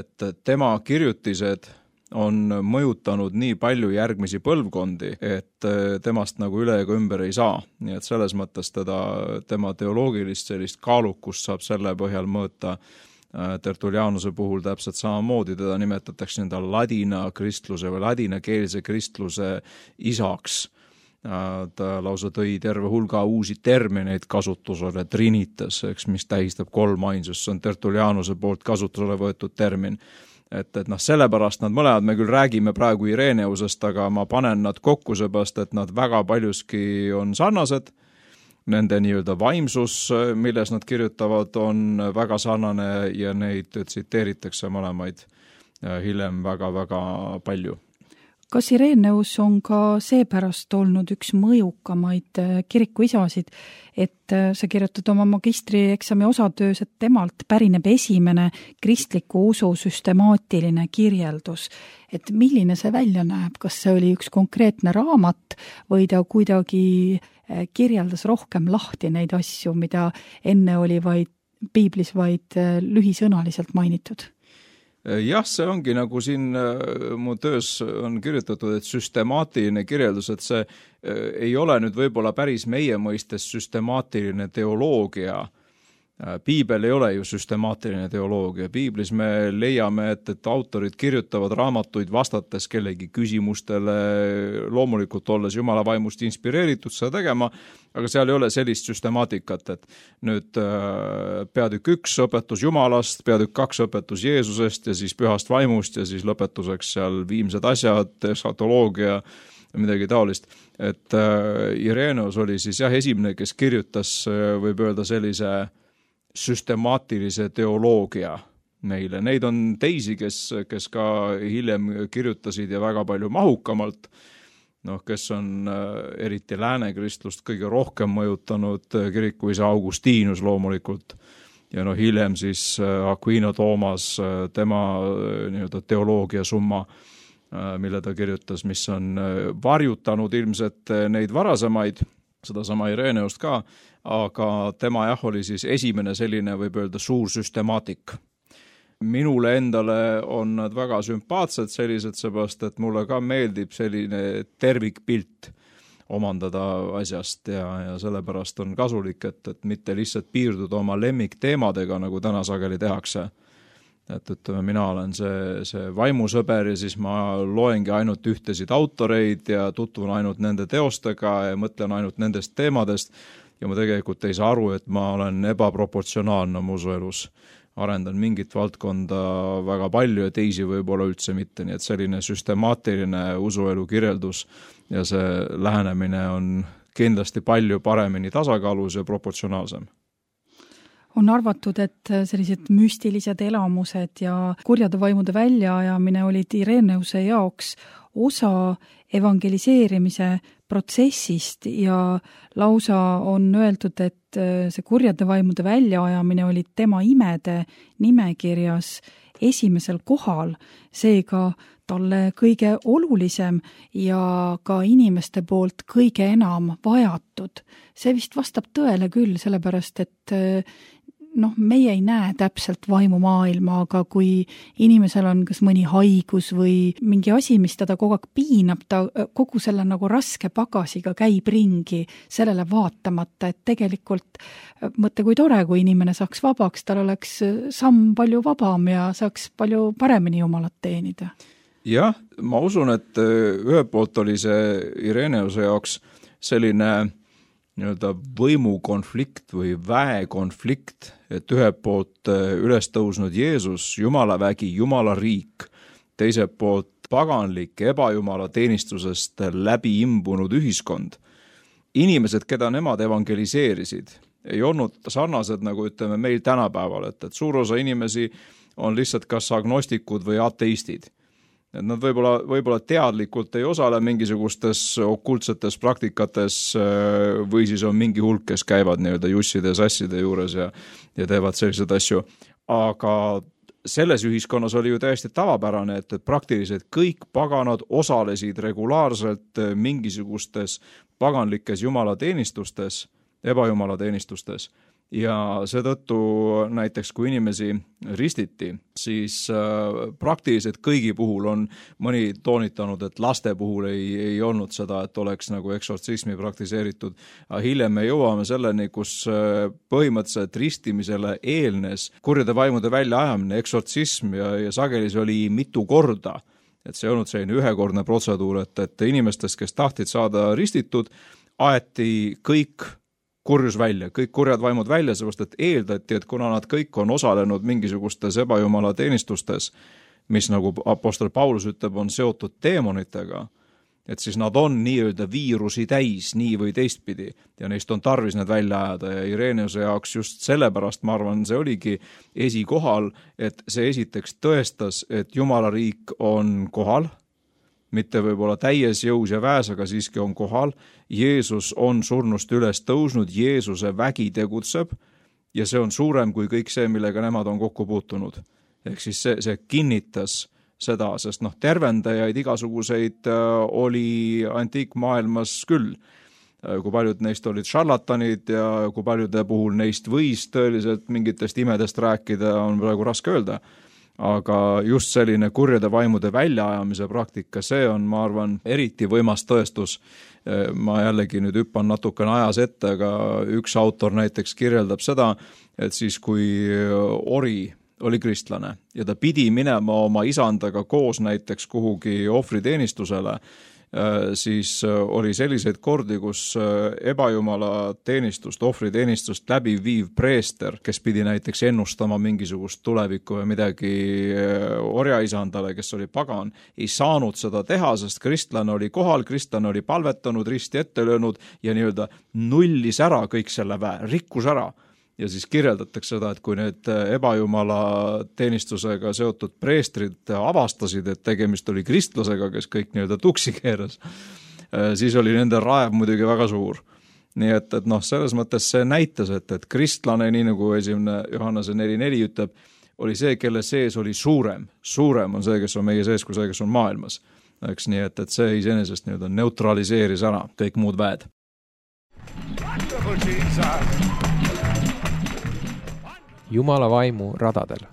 Et tema kirjutised on mõjutanud nii palju järgmisi põlvkondi, et temast nagu üle ega ümber ei saa. Nii et selles mõttes tema teoloogilist sellist kaalukust saab selle põhjal mõõta. Tertullianuse puhul täpselt samamoodi teda nimetatakse ladina kristluse või ladinakeelse kristluse isaks. Ta lausa tõi terve hulga uusi termineid kasutusele, trinitas, mis tähistab kolmainsust, see on Tertullianuse poolt kasutusele võetud termin. Et sellepärast nad mõlemad, me küll räägime praegu Ireneusest, aga ma panen nad kokku seepärast, et nad väga paljuski on sarnased. Nende nii-öelda vaimsus, milles nad kirjutavad, on väga sarnane ja neid tsiteeritakse mõlemaid hiljem väga-väga palju. Kas Ireneus on ka seepärast olnud üks mõjukamaid kirikuisasid, et sa kirjutad oma magistrieksami osatöös, et temalt pärineb esimene kristliku usu süstemaatiline kirjeldus. Et milline see välja näeb? Kas see oli üks konkreetne raamat või ta kuidagi kirjeldas rohkem lahti neid asju, mida enne oli piiblis vaid lühisõnaliselt mainitud? Jah, see ongi nagu siin mu töös on kirjutatud, et süstemaatiline kirjeldus, et see ei ole nüüd võib-olla päris meie mõistes süstemaatiline teoloogia. Piibel ei ole ju süstemaatiline teoloogia. Piiblis me leiame, et autorid kirjutavad raamatuid vastates kellegi küsimustele, loomulikult olles Jumala vaimust inspireeritud seda tegema, aga seal ei ole sellist süstemaatikat, et nüüd peatükk 1 õpetus Jumalast, peatükk 2 õpetus Jeesusest ja siis pühast vaimust ja siis lõpetuseks seal viimsed asjad, eskatoloogia ja midagi taolist. Et Ireneus oli siis esimene, kes kirjutas, võib öelda sellise süstemaatilise teoloogia meile. Neid on teisi, kes ka hiljem kirjutasid ja väga palju mahukamalt, kes on eriti läänekristlust kõige rohkem mõjutanud, kirikuisa Augustinus loomulikult ja hiljem siis Aquino Toomas, tema nii-öelda teoloogia summa, mille ta kirjutas, mis on varjutanud ilmselt neid varasemaid, sedasama Ireneust ka, aga tema oli siis esimene selline, võib öelda, suur süstemaatik. minule endale on nad väga sümpaatsed sellised, seepärast, et mulle ka meeldib selline tervikpilt omandada asjast ja sellepärast on kasulik, et mitte lihtsalt piirduda oma lemmikteemadega, nagu täna sageli tehakse. Et ütleme, mina olen see vaimusõber ja siis ma loengi ainult ühtesid autoreid ja tutvun ainult nende teostega ja mõtlen ainult nendest teemadest ja ma tegelikult ei saa aru, et ma olen ebaproportsionaalne oma usuelus. Arendan mingit valdkonda väga palju ja teisi võib-olla üldse mitte, nii et selline süstemaatiline usuelu kirjeldus ja see lähenemine on kindlasti palju paremini tasakaalus ja proportsionaalsem. On arvatud, et sellised müstilised elamused ja kurjade vaimude väljaajamine olid Ireneuse jaoks osa evangeliseerimise protsessist ja lausa on öeldud, et see kurjade vaimude väljaajamine oli tema imede nimekirjas esimesel kohal, seega talle kõige olulisem ja ka inimeste poolt kõige enam vajatud. See vist vastab tõele küll, sellepärast et meie ei näe täpselt vaimumaailma, aga kui inimesel on kas mõni haigus või mingi asi, mis teda kogu aeg piinab, ta kogu selle nagu raske pagasiga käib ringi sellele vaatamata, et tegelikult mõtle, kui tore, kui inimene saaks vabaks, tal oleks samm palju vabam ja saaks palju paremini Jumalat teenida. Jah, ma usun, et ühelt poolt oli see Ireneuse jaoks selline võimukonflikt või väekonflikt, et ühelt poolt üles tõusnud Jeesus, Jumala vägi, Jumala riik, teiselt poolt paganlik ebajumala teenistusest läbi imbunud ühiskond. Inimesed, keda nemad evangeliseerisid, ei olnud sarnased, nagu ütleme meil tänapäeval, et suur osa inimesi on lihtsalt kas agnostikud või ateistid. Et nad võib-olla teadlikult ei osale mingisugustes okultsetes praktikates või siis on mingi hulk, kes käivad jusside ja sasside juures ja teevad selliseid asju. Aga selles ühiskonnas oli ju täiesti tavapärane, et praktiliselt kõik paganad osalesid regulaarselt mingisugustes paganlikes jumalateenistustes, ebajumalateenistustes. Ja seetõttu näiteks, kui inimesi ristiti, siis praktiliselt kõigi puhul on mõni toonitanud, et laste puhul ei olnud seda, et oleks nagu eksortsismi praktiseeritud. Hiljem me jõuame selleni, kus põhimõtteliselt ristimisele eelnes kurjade vaimude väljaajamine, eksortsism ja sageli see oli mitu korda. Et see olnud selline ühekordne protseduur, et inimestest, kes tahtid saada ristitud, aeti kõik kurjus välja, kõik kurjad vaimud välja, seepärast et eeldati, et kuna nad kõik on osalenud mingisugustes ebajumala teenistustes, mis nagu apostel Paulus ütleb, on seotud teemonitega, et siis nad on nii-öelda viirusi täis nii või teistpidi ja neist on tarvis need välja ajada ja Ireneuse jaoks just sellepärast, ma arvan, see oligi esikohal, et see esiteks tõestas, et Jumala riik on kohal, mitte võib-olla täies jõus ja väes, aga siiski on kohal. Jeesus on surnust üles tõusnud, Jeesuse vägi tegutseb ja see on suurem kui kõik see, millega nemad on kokku puutunud. Ehk siis see kinnitas seda, sest tervendajaid igasuguseid oli antiikmaailmas küll. Kui paljud neist olid šarlatanid ja kui paljude puhul neist võis tõeliselt mingitest imedest rääkida, on praegu raske öelda. Aga just selline kurjade vaimude väljaajamise praktika, see on, ma arvan, eriti võimas tõestus. Ma jällegi nüüd hüppan natukene ajas ette, aga üks autor näiteks kirjeldab seda, et siis kui ori oli kristlane ja ta pidi minema oma isandaga koos näiteks kuhugi ohvriteenistusele, siis oli selliseid kordi, kus ebajumala teenistust, ohvriteenistust läbi viiv preester, kes pidi näiteks ennustama mingisugust tulevikku või midagi orjaisandale, kes oli pagan, ei saanud seda teha, sest kristlane oli kohal, kristlane oli palvetanud, risti ette löönud ja nii-öelda nullis ära kõik selle väe, rikkus ära. Ja siis kirjeldatakse seda, et kui need ebajumala teenistusega seotud preestrid avastasid, et tegemist oli kristlasega, kes kõik nii-öelda tuksi keeras, siis oli nende raev muidugi väga suur. Nii et selles mõttes see näitas, et kristlane, nii nagu esimene Johannese 4.4 ütleb, oli see, kelle sees oli suurem. Suurem on see, kes on meie sees, kui see, kes on maailmas. Eks nii, et see iseenesest nii-öelda neutraliseeris ära kõik muud väed. Jumala vaimu radadel.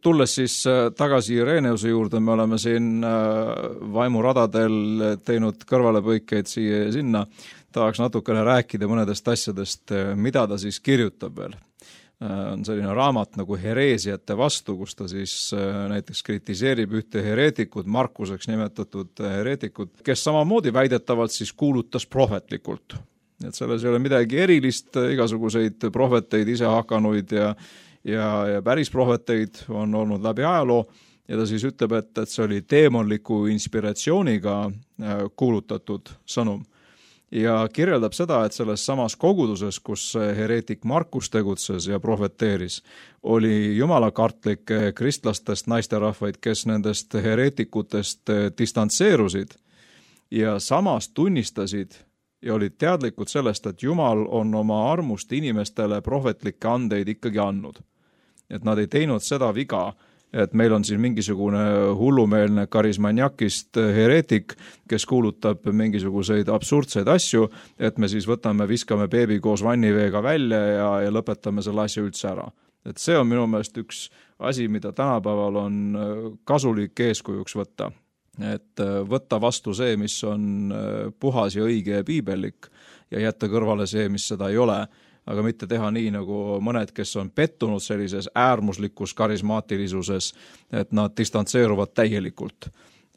Tulles siis tagasi Ireneuse juurde, me oleme siin vaimuradadel teinud kõrvalepõikeid siia ja sinna. Tahaks natukene rääkida mõnedest asjadest, mida ta siis kirjutab veel. On selline raamat nagu Hereesiate vastu, kus ta siis näiteks kritiseerib ühte hereetikut, Markuseks nimetatud hereetikut, kes samamoodi väidetavalt siis kuulutas prohvetlikult. Et selles ei ole midagi erilist, igasuguseid prohveteid ise hakanuid ja päris prohveteid on olnud läbi ajaloo ja ta siis ütleb, et see oli teemonliku inspiratsiooniga kuulutatud sõnum. Ja kirjeldab seda, et selles samas koguduses, kus hereetik Markus tegutses ja prohveteeris, oli jumalakartlikke kristlastest naisterahvaid, kes nendest hereetikutest distantseerusid ja samas tunnistasid ja olid teadlikud sellest, et Jumal on oma armust inimestele prohvetlikke andeid ikkagi andnud. Et nad ei teinud seda viga, et meil on siin mingisugune hullumeelne karismaniakist hereetik, kes kuulutab mingisuguseid absurdseid asju, et me siis viskame beebi koos vanniveega välja ja lõpetame selle asja üldse ära. Et see on minu meelest üks asi, mida tänapäeval on kasulik eeskujuks võtta. Et võtta vastu see, mis on puhas ja õige ja piibellik ja jätta kõrvale see, mis seda ei ole, aga mitte teha nii nagu mõned, kes on pettunud sellises äärmuslikus karismaatilisuses, et nad distantseeruvad täielikult.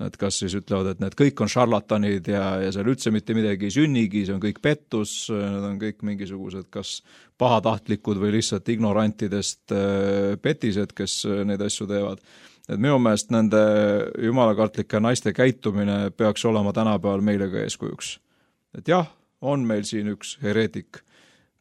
Et kas siis ütlevad, et need kõik on šarlatanid ja seal üldse mitte midagi ei sünnigi, see on kõik pettus, need on kõik mingisugused kas pahatahtlikud või lihtsalt ignorantidest petised, kes neid asju teevad. Et minu meelest nende jumalakartlike naiste käitumine peaks olema tänapäeval meile ka eeskujuks. Et jah, on meil siin üks hereetik,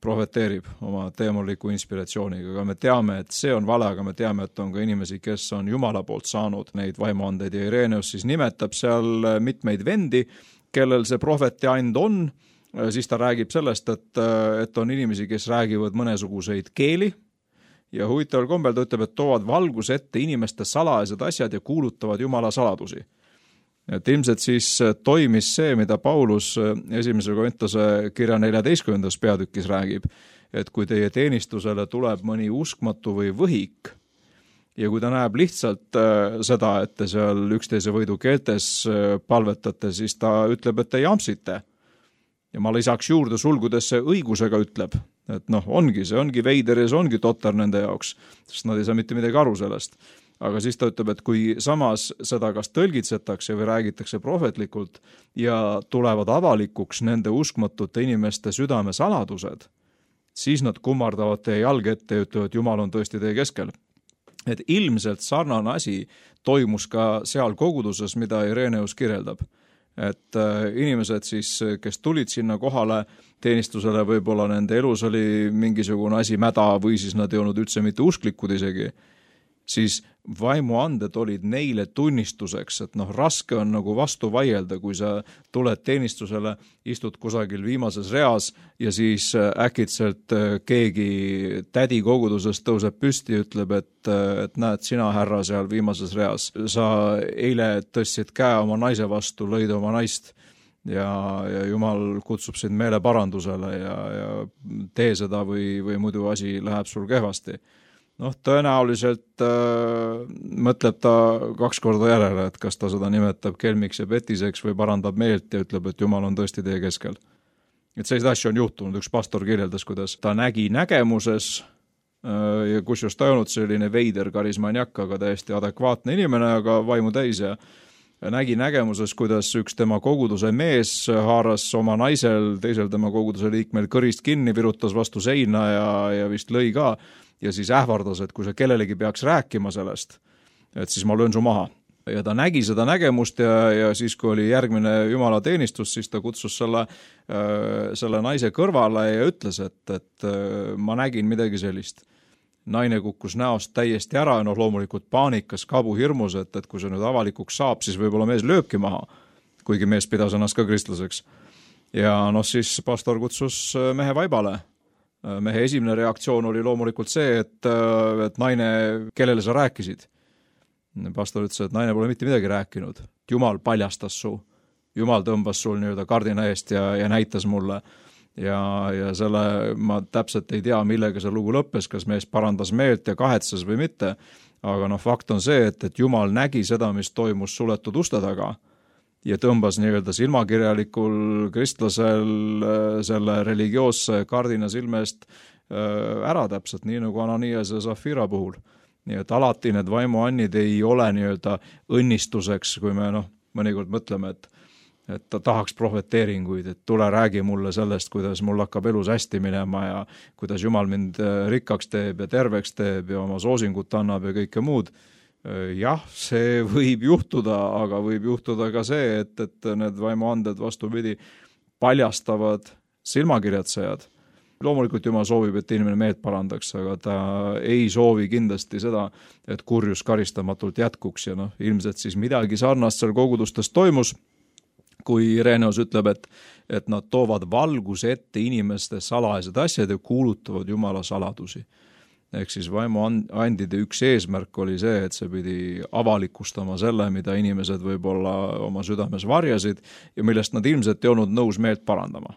prohveteerib oma teemoliku inspiratsiooniga, aga me teame, et see on vale, aga me teame, et on ka inimesi, kes on Jumala poolt saanud neid vaimuandeid ja Ireneus siis nimetab seal mitmeid vendi, kellel see prohveti and on, siis ta räägib sellest, et on inimesi, kes räägivad mõnesuguseid keeli ja huvitaval kombel ta ütleb, et toovad valgus ette inimeste salajased asjad ja kuulutavad Jumala saladusi. Et ilmselt siis toimis see, mida Paulus 1. Korintuse kirja 14. peatükis räägib, et kui teie teenistusele tuleb mõni uskmatu või võhik ja kui ta näeb lihtsalt seda, et te seal üksteise võidu keeltes palvetate, siis ta ütleb, et te jampsite. Ja ma lisaks juurde sulgudesse õigusega ütleb, et see ongi veider ja see ongi totter nende jaoks, sest nad ei saa mitte midagi aru sellest. Aga siis ta ütleb, et kui samas seda kas tõlgitsetakse või räägitakse prohvetlikult ja tulevad avalikuks nende uskmatute inimeste südame saladused, siis nad kummardavad teie jalg ette ja ütlevad, et Jumal on tõesti teie keskel. Et ilmselt sarnane asi toimus ka seal koguduses, mida Ireneus kirjeldab. Et inimesed siis, kes tulid sinna kohale teenistusele, võib-olla nende elus oli mingisugune asi mäda või siis nad ei olnud üldse mitte usklikud isegi, siis vaimuanded olid neile tunnistuseks, et raske on nagu vastu vaielda, kui sa tuled teenistusele, istud kusagil viimases reas ja siis äkitselt keegi tädi kogudusest tõuseb püsti ja ütleb, et näed sina härra seal viimases reas. Sa eile tõstsid käe oma naise vastu, lõid oma naist ja Jumal kutsub sind meeleparandusele ja tee seda või muidu asi läheb sul kehvasti. Tõenäoliselt mõtleb ta 2 korda järele, et kas ta seda nimetab kelmiks ja petiseks või parandab meelt ja ütleb, et Jumal on tõesti teie keskel. Et sellised asju on juhtunud, üks pastor kirjeldas, kuidas ta nägi nägemuses ja kusjuures ta ei olnud selline veider karismaniak, aga täiesti adekvaatne inimene, aga vaimu täis ja nägi nägemuses, kuidas üks tema koguduse mees haaras oma naisel, teisel tema koguduse liikmel kõrist kinni, virutas vastu seina ja vist lõi ka. Ja siis ähvardas, et kui sa kellelegi peaks rääkima sellest, et siis ma löön su maha. Ja ta nägi seda nägemust ja siis, kui oli järgmine Jumala teenistus, siis ta kutsus selle naise kõrvale ja ütles, et ma nägin midagi sellist. Naine kukkus näost täiesti ära ja loomulikult paanikas, kabuhirmus, et kui see nüüd avalikuks saab, siis võib-olla mees lööbki maha, kuigi mees pidas ennast ka kristlaseks. Ja siis pastor kutsus mehe vaibale. Mehe esimene reaktsioon oli loomulikult see, et naine, kellele sa rääkisid. Pastor ütles, et naine pole mitte midagi rääkinud. Jumal paljastas su. Jumal tõmbas sul kardina eest ja näitas mulle. ja selle ma täpselt ei tea, millega see lugu lõppes, kas mees parandas meelt ja kahetsas või mitte, aga fakt on see, et Jumal nägi seda, mis toimus suletud uste taga ja tõmbas nii-öelda silmakirjalikul kristlasel selle religioosse kardina silmest ära täpselt, nii nagu Ananias ja Zafira puhul. Nii et alati need vaimuannid ei ole nii-öelda õnnistuseks, kui me mõnikord mõtleme, et ta tahaks prohveteeringuid, et tule räägi mulle sellest, kuidas mul hakkab elus hästi minema ja kuidas Jumal mind rikkaks teeb ja terveks teeb ja oma soosingut annab ja kõike muud. Jah, see võib juhtuda, aga võib juhtuda ka see, et need vaimuanded vastupidi paljastavad silmakirjatsejad. Loomulikult Jumal soovib, et inimene meelt parandaks, aga ta ei soovi kindlasti seda, et kurjus karistamatult jätkuks ja ilmselt siis midagi sarnast seal kogudustes toimus, kui Ireneus ütleb, et nad toovad valguse ette inimeste salajased asjad ja kuulutavad Jumala saladusi. Ehk siis vaimuandide üks eesmärk oli see, et see pidi avalikustama selle, mida inimesed võib-olla oma südames varjasid ja millest nad ilmselt ei olnud nõus meelt parandama.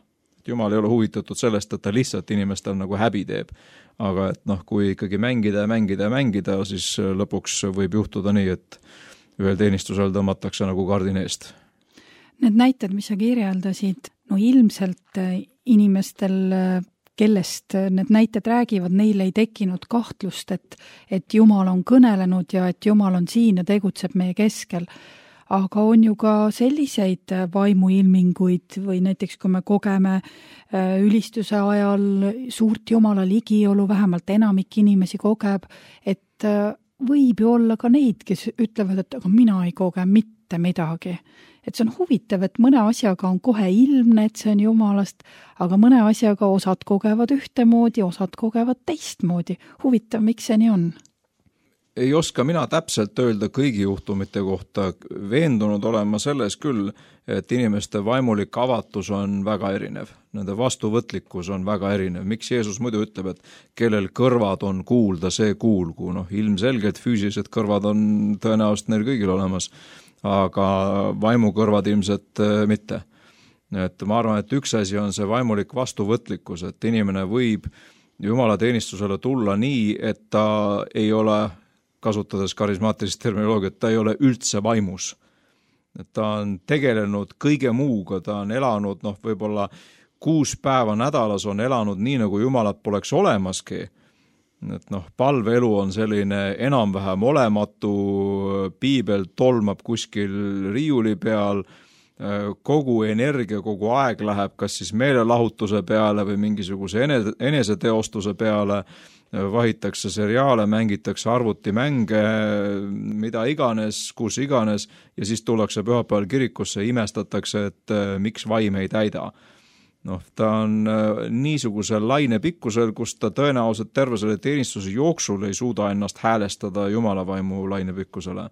Jumal ei ole huvitatud sellest, et ta lihtsalt inimestel nagu häbi teeb. Aga et kui ikkagi mängida, siis lõpuks võib juhtuda nii, et ühel teenistusel tõmmatakse nagu kardin eest. Need näited, mis sa kirjeldasid, ilmselt inimestel, kellest need näited räägivad, neil ei tekkinud kahtlust, et Jumal on kõnelenud ja et Jumal on siin ja tegutseb meie keskel. Aga on ju ka selliseid vaimuilminguid või näiteks kui me kogeme ülistuse ajal suurt Jumala ligiolu, vähemalt enamik inimesi kogeb, et võib ju olla ka neid, kes ütlevad, et aga mina ei koge mitte midagi. Et see on huvitav, et mõne asjaga on kohe ilmne, et see on Jumalast, aga mõne asjaga osad kogevad ühtemoodi, osad kogevad teistmoodi. Huvitav, miks see nii on? Ei oska mina täpselt öelda kõigi juhtumite kohta. Veendunud olema selles küll, et inimeste vaimulik avatus on väga erinev. Nende vastuvõtlikkus on väga erinev. Miks Jeesus muidu ütleb, et kellel kõrvad on kuulda, see kuulgu. Ilmselgelt füüsilised kõrvad on tõenäoliselt neil kõigil olemas, aga vaimukõrvad ilmselt mitte. Et ma arvan, et üks asi on see vaimulik vastuvõtlikkus, et inimene võib Jumala teenistusele tulla nii, et ta ei ole, kasutades karismaatilist terminoloogiat, ta ei ole üldse vaimus. Et ta on tegelenud kõige muuga, ta on elanud võib-olla 6 päeva nädalas on elanud nii, nagu Jumalat poleks olemaski. Et palveelu on selline enam-vähem olematu, piibel tolmab kuskil riiuli peal, kogu energia, kogu aeg läheb kas siis meelelahutuse peale või mingisuguse eneseteostuse peale, vahitakse seriaale, mängitakse arvutimänge, mida iganes, kus iganes, ja siis tullakse pühapäeval kirikusse ja imestatakse, et miks vaim ei täida. Ta on niisugusel lainepikkusel, kus ta tõenäoliselt terve selle teenistuse jooksul ei suuda ennast häälestada Jumala vaimu lainepikkusele.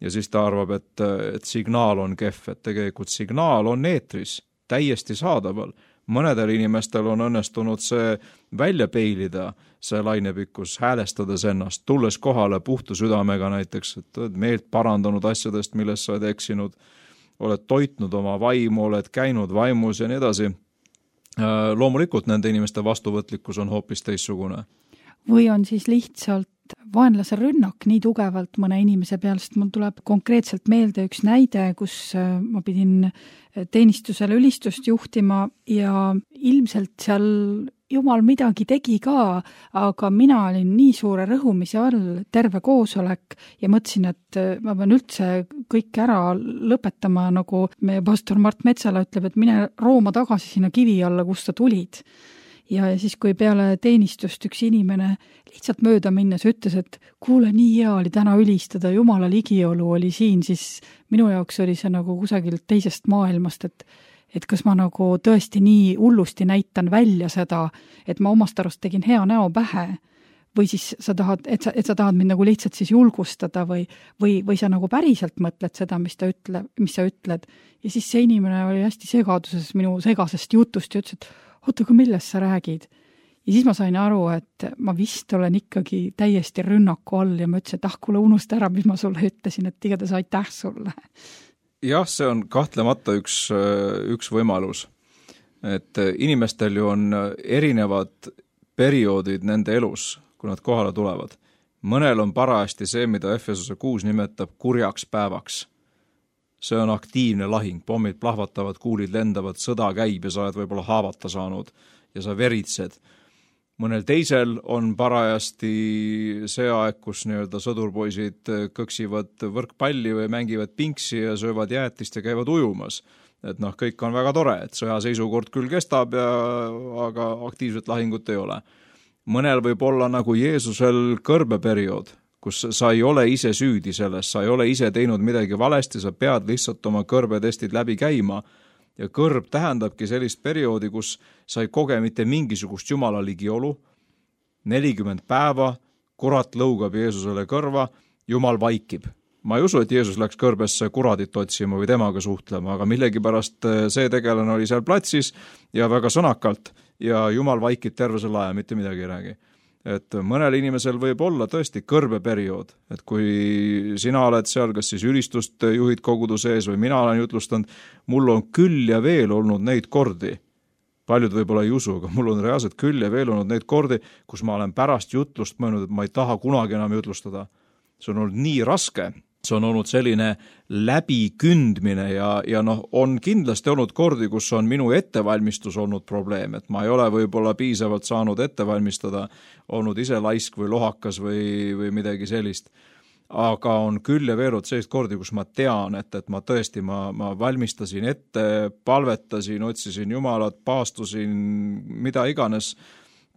Ja siis ta arvab, et signaal on kehv, et tegelikult signaal on eetris, täiesti saadaval. Mõnedel inimestel on õnnestunud see välja peilida, see lainepikkus, häälestades ennast, tulles kohale puhta südamega näiteks, et oled meelt parandanud asjadest, millest sa oled eksinud, oled toitnud oma vaimu, oled käinud vaimus ja nii edasi. Loomulikult nende inimeste vastuvõtlikkus on hoopis teissugune. Või on siis lihtsalt vaenlase rünnak nii tugevalt mõne inimese peal, sest mul tuleb konkreetselt meelde üks näide, kus ma pidin teenistusele ülistust juhtima ja ilmselt seal Jumal midagi tegi ka, aga mina olin nii suure rõhumise all terve koosolek ja mõtlesin, et ma pean üldse kõik ära lõpetama, nagu meie pastor Mart Metsala ütleb, et mine rooma tagasi sinna kivi alla, kust sa tulid. Ja siis, kui peale teenistust üks inimene lihtsalt mööda minnes ütles, et kuule, nii hea oli täna ülistada, Jumala ligiolu oli siin, siis minu jaoks oli see nagu kusagilt teisest maailmast, et kas ma nagu tõesti nii hullusti näitan välja seda, et ma omast arust tegin hea näo pähe, või siis sa tahad, et sa tahad mind nagu lihtsalt siis julgustada või sa nagu päriselt mõtled seda, mis sa ütled. Ja siis see inimene oli hästi segaduses minu segasest jutust ja ütles, et oota, aga millest sa räägid? Ja siis ma sain aru, et ma vist olen ikkagi täiesti rünnaku all ja ma ütlesin, et kuule, unusta ära, mis ma sulle ütlesin, et igatahes aitäh sulle. Jah, see on kahtlemata üks võimalus. et inimestel ju on erinevad perioodid nende elus, kui nad kohale tulevad. Mõnel on parajasti see, mida Efesuse 6 nimetab kurjaks päevaks. See on aktiivne lahing, pommid plahvatavad, kuulid lendavad, sõda käib ja sa oled võib-olla haavata saanud ja sa veritsed. Mõnel teisel on parajasti see aeg, kus nii-öelda sõdurpoisid kõksivad võrkpalli või mängivad pinksi ja söövad jäätist ja käivad ujumas. Et kõik on väga tore, et sõjaseisukord küll kestab, aga aktiivset lahingut ei ole. Mõnel võib olla nagu Jeesusel kõrbeperiood, kus sa ei ole ise süüdi selles, sa ei ole ise teinud midagi valesti, sa pead lihtsalt oma kõrbetestid läbi käima. Ja kõrb tähendabki sellist perioodi, kus sa ei koge mitte mingisugust Jumala ligiolu, 40 päeva, kurat lõugab Jeesusele kõrva, Jumal vaikib. Ma ei usu, et Jeesus läks kõrbesse kuradit otsima või temaga suhtlema, aga millegipärast see tegelane oli seal platsis ja väga sõnakalt ja Jumal vaikib terve selle aja, mitte midagi ei räägi. Et mõnel inimesel võib olla tõesti kõrbeperiood, et kui sina oled seal, kas siis ülistust juhid kogudu sees või mina olen jutlustanud, mul on küll ja veel olnud neid kordi, paljud võib-olla ei usu, aga mul on reaalselt küll ja veel olnud neid kordi, kus ma olen pärast jutlust mõelnud, et ma ei taha kunagi enam jutlustada. See on olnud nii raske, see on olnud selline läbikündmine ja on kindlasti olnud kordi, kus on minu ettevalmistus olnud probleem, et ma ei ole võib-olla piisavalt saanud ettevalmistada, olnud ise laisk või lohakas või midagi sellist. Aga on küll ja veel olnud sellist kordi, kus ma tean, et ma tõesti, ma valmistasin ette, palvetasin, otsisin Jumalat, paastusin, mida iganes,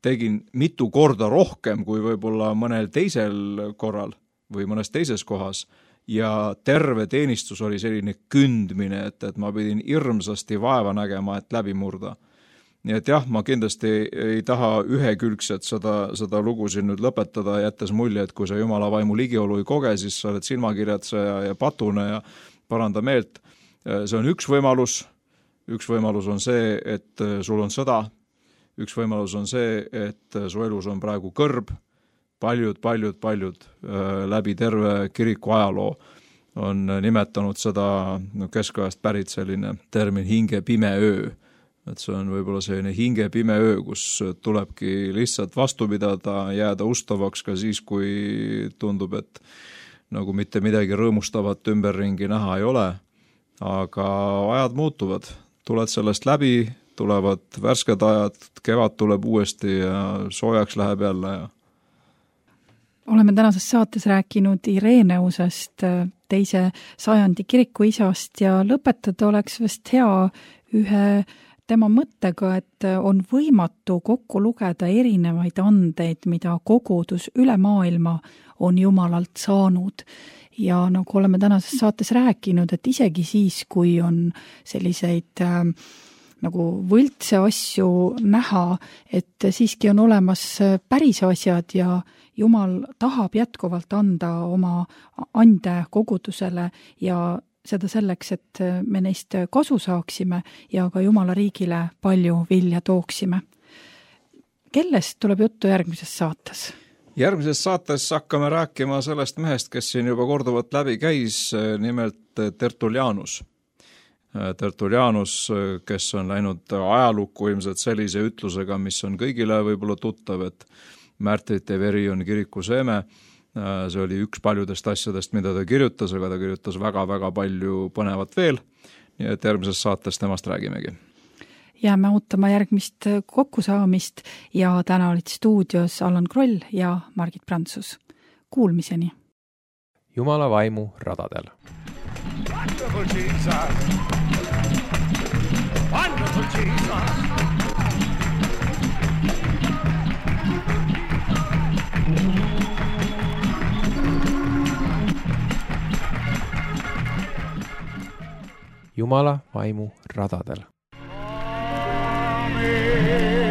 tegin mitu korda rohkem kui võib-olla mõnel teisel korral või mõnes teises kohas ja terve teenistus oli selline kündmine, et ma pidin hirmsasti vaeva nägema, et läbi murda. Nii et jah, ma kindlasti ei taha ühekülgselt seda lugu siin nüüd lõpetada, jättes mulje, et kui sa Jumala vaimu ligiolu ei koge, siis sa oled silmakirjatseja ja patune ja paranda meelt. See on üks võimalus on see, et sul on sõda, üks võimalus on see, et su elus on praegu kõrb, paljud läbi terve kiriku ajaloo on nimetanud seda keskajast pärit selline termin hinge pime öö. Et see on võib-olla selline hinge pime öö, kus tulebki lihtsalt vastu pidada, jääda ustavaks ka siis, kui tundub, et nagu mitte midagi rõõmustavat ümberringi näha ei ole. Aga ajad muutuvad, tuled sellest läbi, tulevad värsked ajad, kevad tuleb uuesti ja soojaks läheb jälle ja oleme tänases saates rääkinud Ireneusest, 2. sajandi kirikuisast ja lõpetada oleks vast hea ühe tema mõttega, et on võimatu kokku lugeda erinevaid andeid, mida kogudus üle maailma on Jumalalt saanud. Ja nagu oleme tänases saates rääkinud, et isegi siis, kui on selliseid nagu võltse asju näha, et siiski on olemas päris asjad ja Jumal tahab jätkuvalt anda oma ande kogudusele ja seda selleks, et me neist kasu saaksime ja ka Jumala riigile palju vilja tooksime. Kellest tuleb juttu järgmises saates? Järgmises saates hakkame rääkima sellest mehest, kes siin juba korduvalt läbi käis, nimelt Tertullianus. Tertullianus, kes on läinud ajalukku ilmselt sellise ütlusega, mis on kõigile võib-olla tuttav, et märtrite veri on kiriku seeme. See oli üks paljudest asjadest, mida ta kirjutas, aga ta kirjutas väga-väga palju põnevat veel. Nii et järgmises saates temast räägimegi. Jääme ootama järgmist kokkusaamist ja täna olid stuudios Allan Kroll ja Margit Prantsus. Kuulmiseni! Jumala vaimu radadel. Wonderful Jesus! Wonderful Jesus! Jumala vaimu radadel. Amen.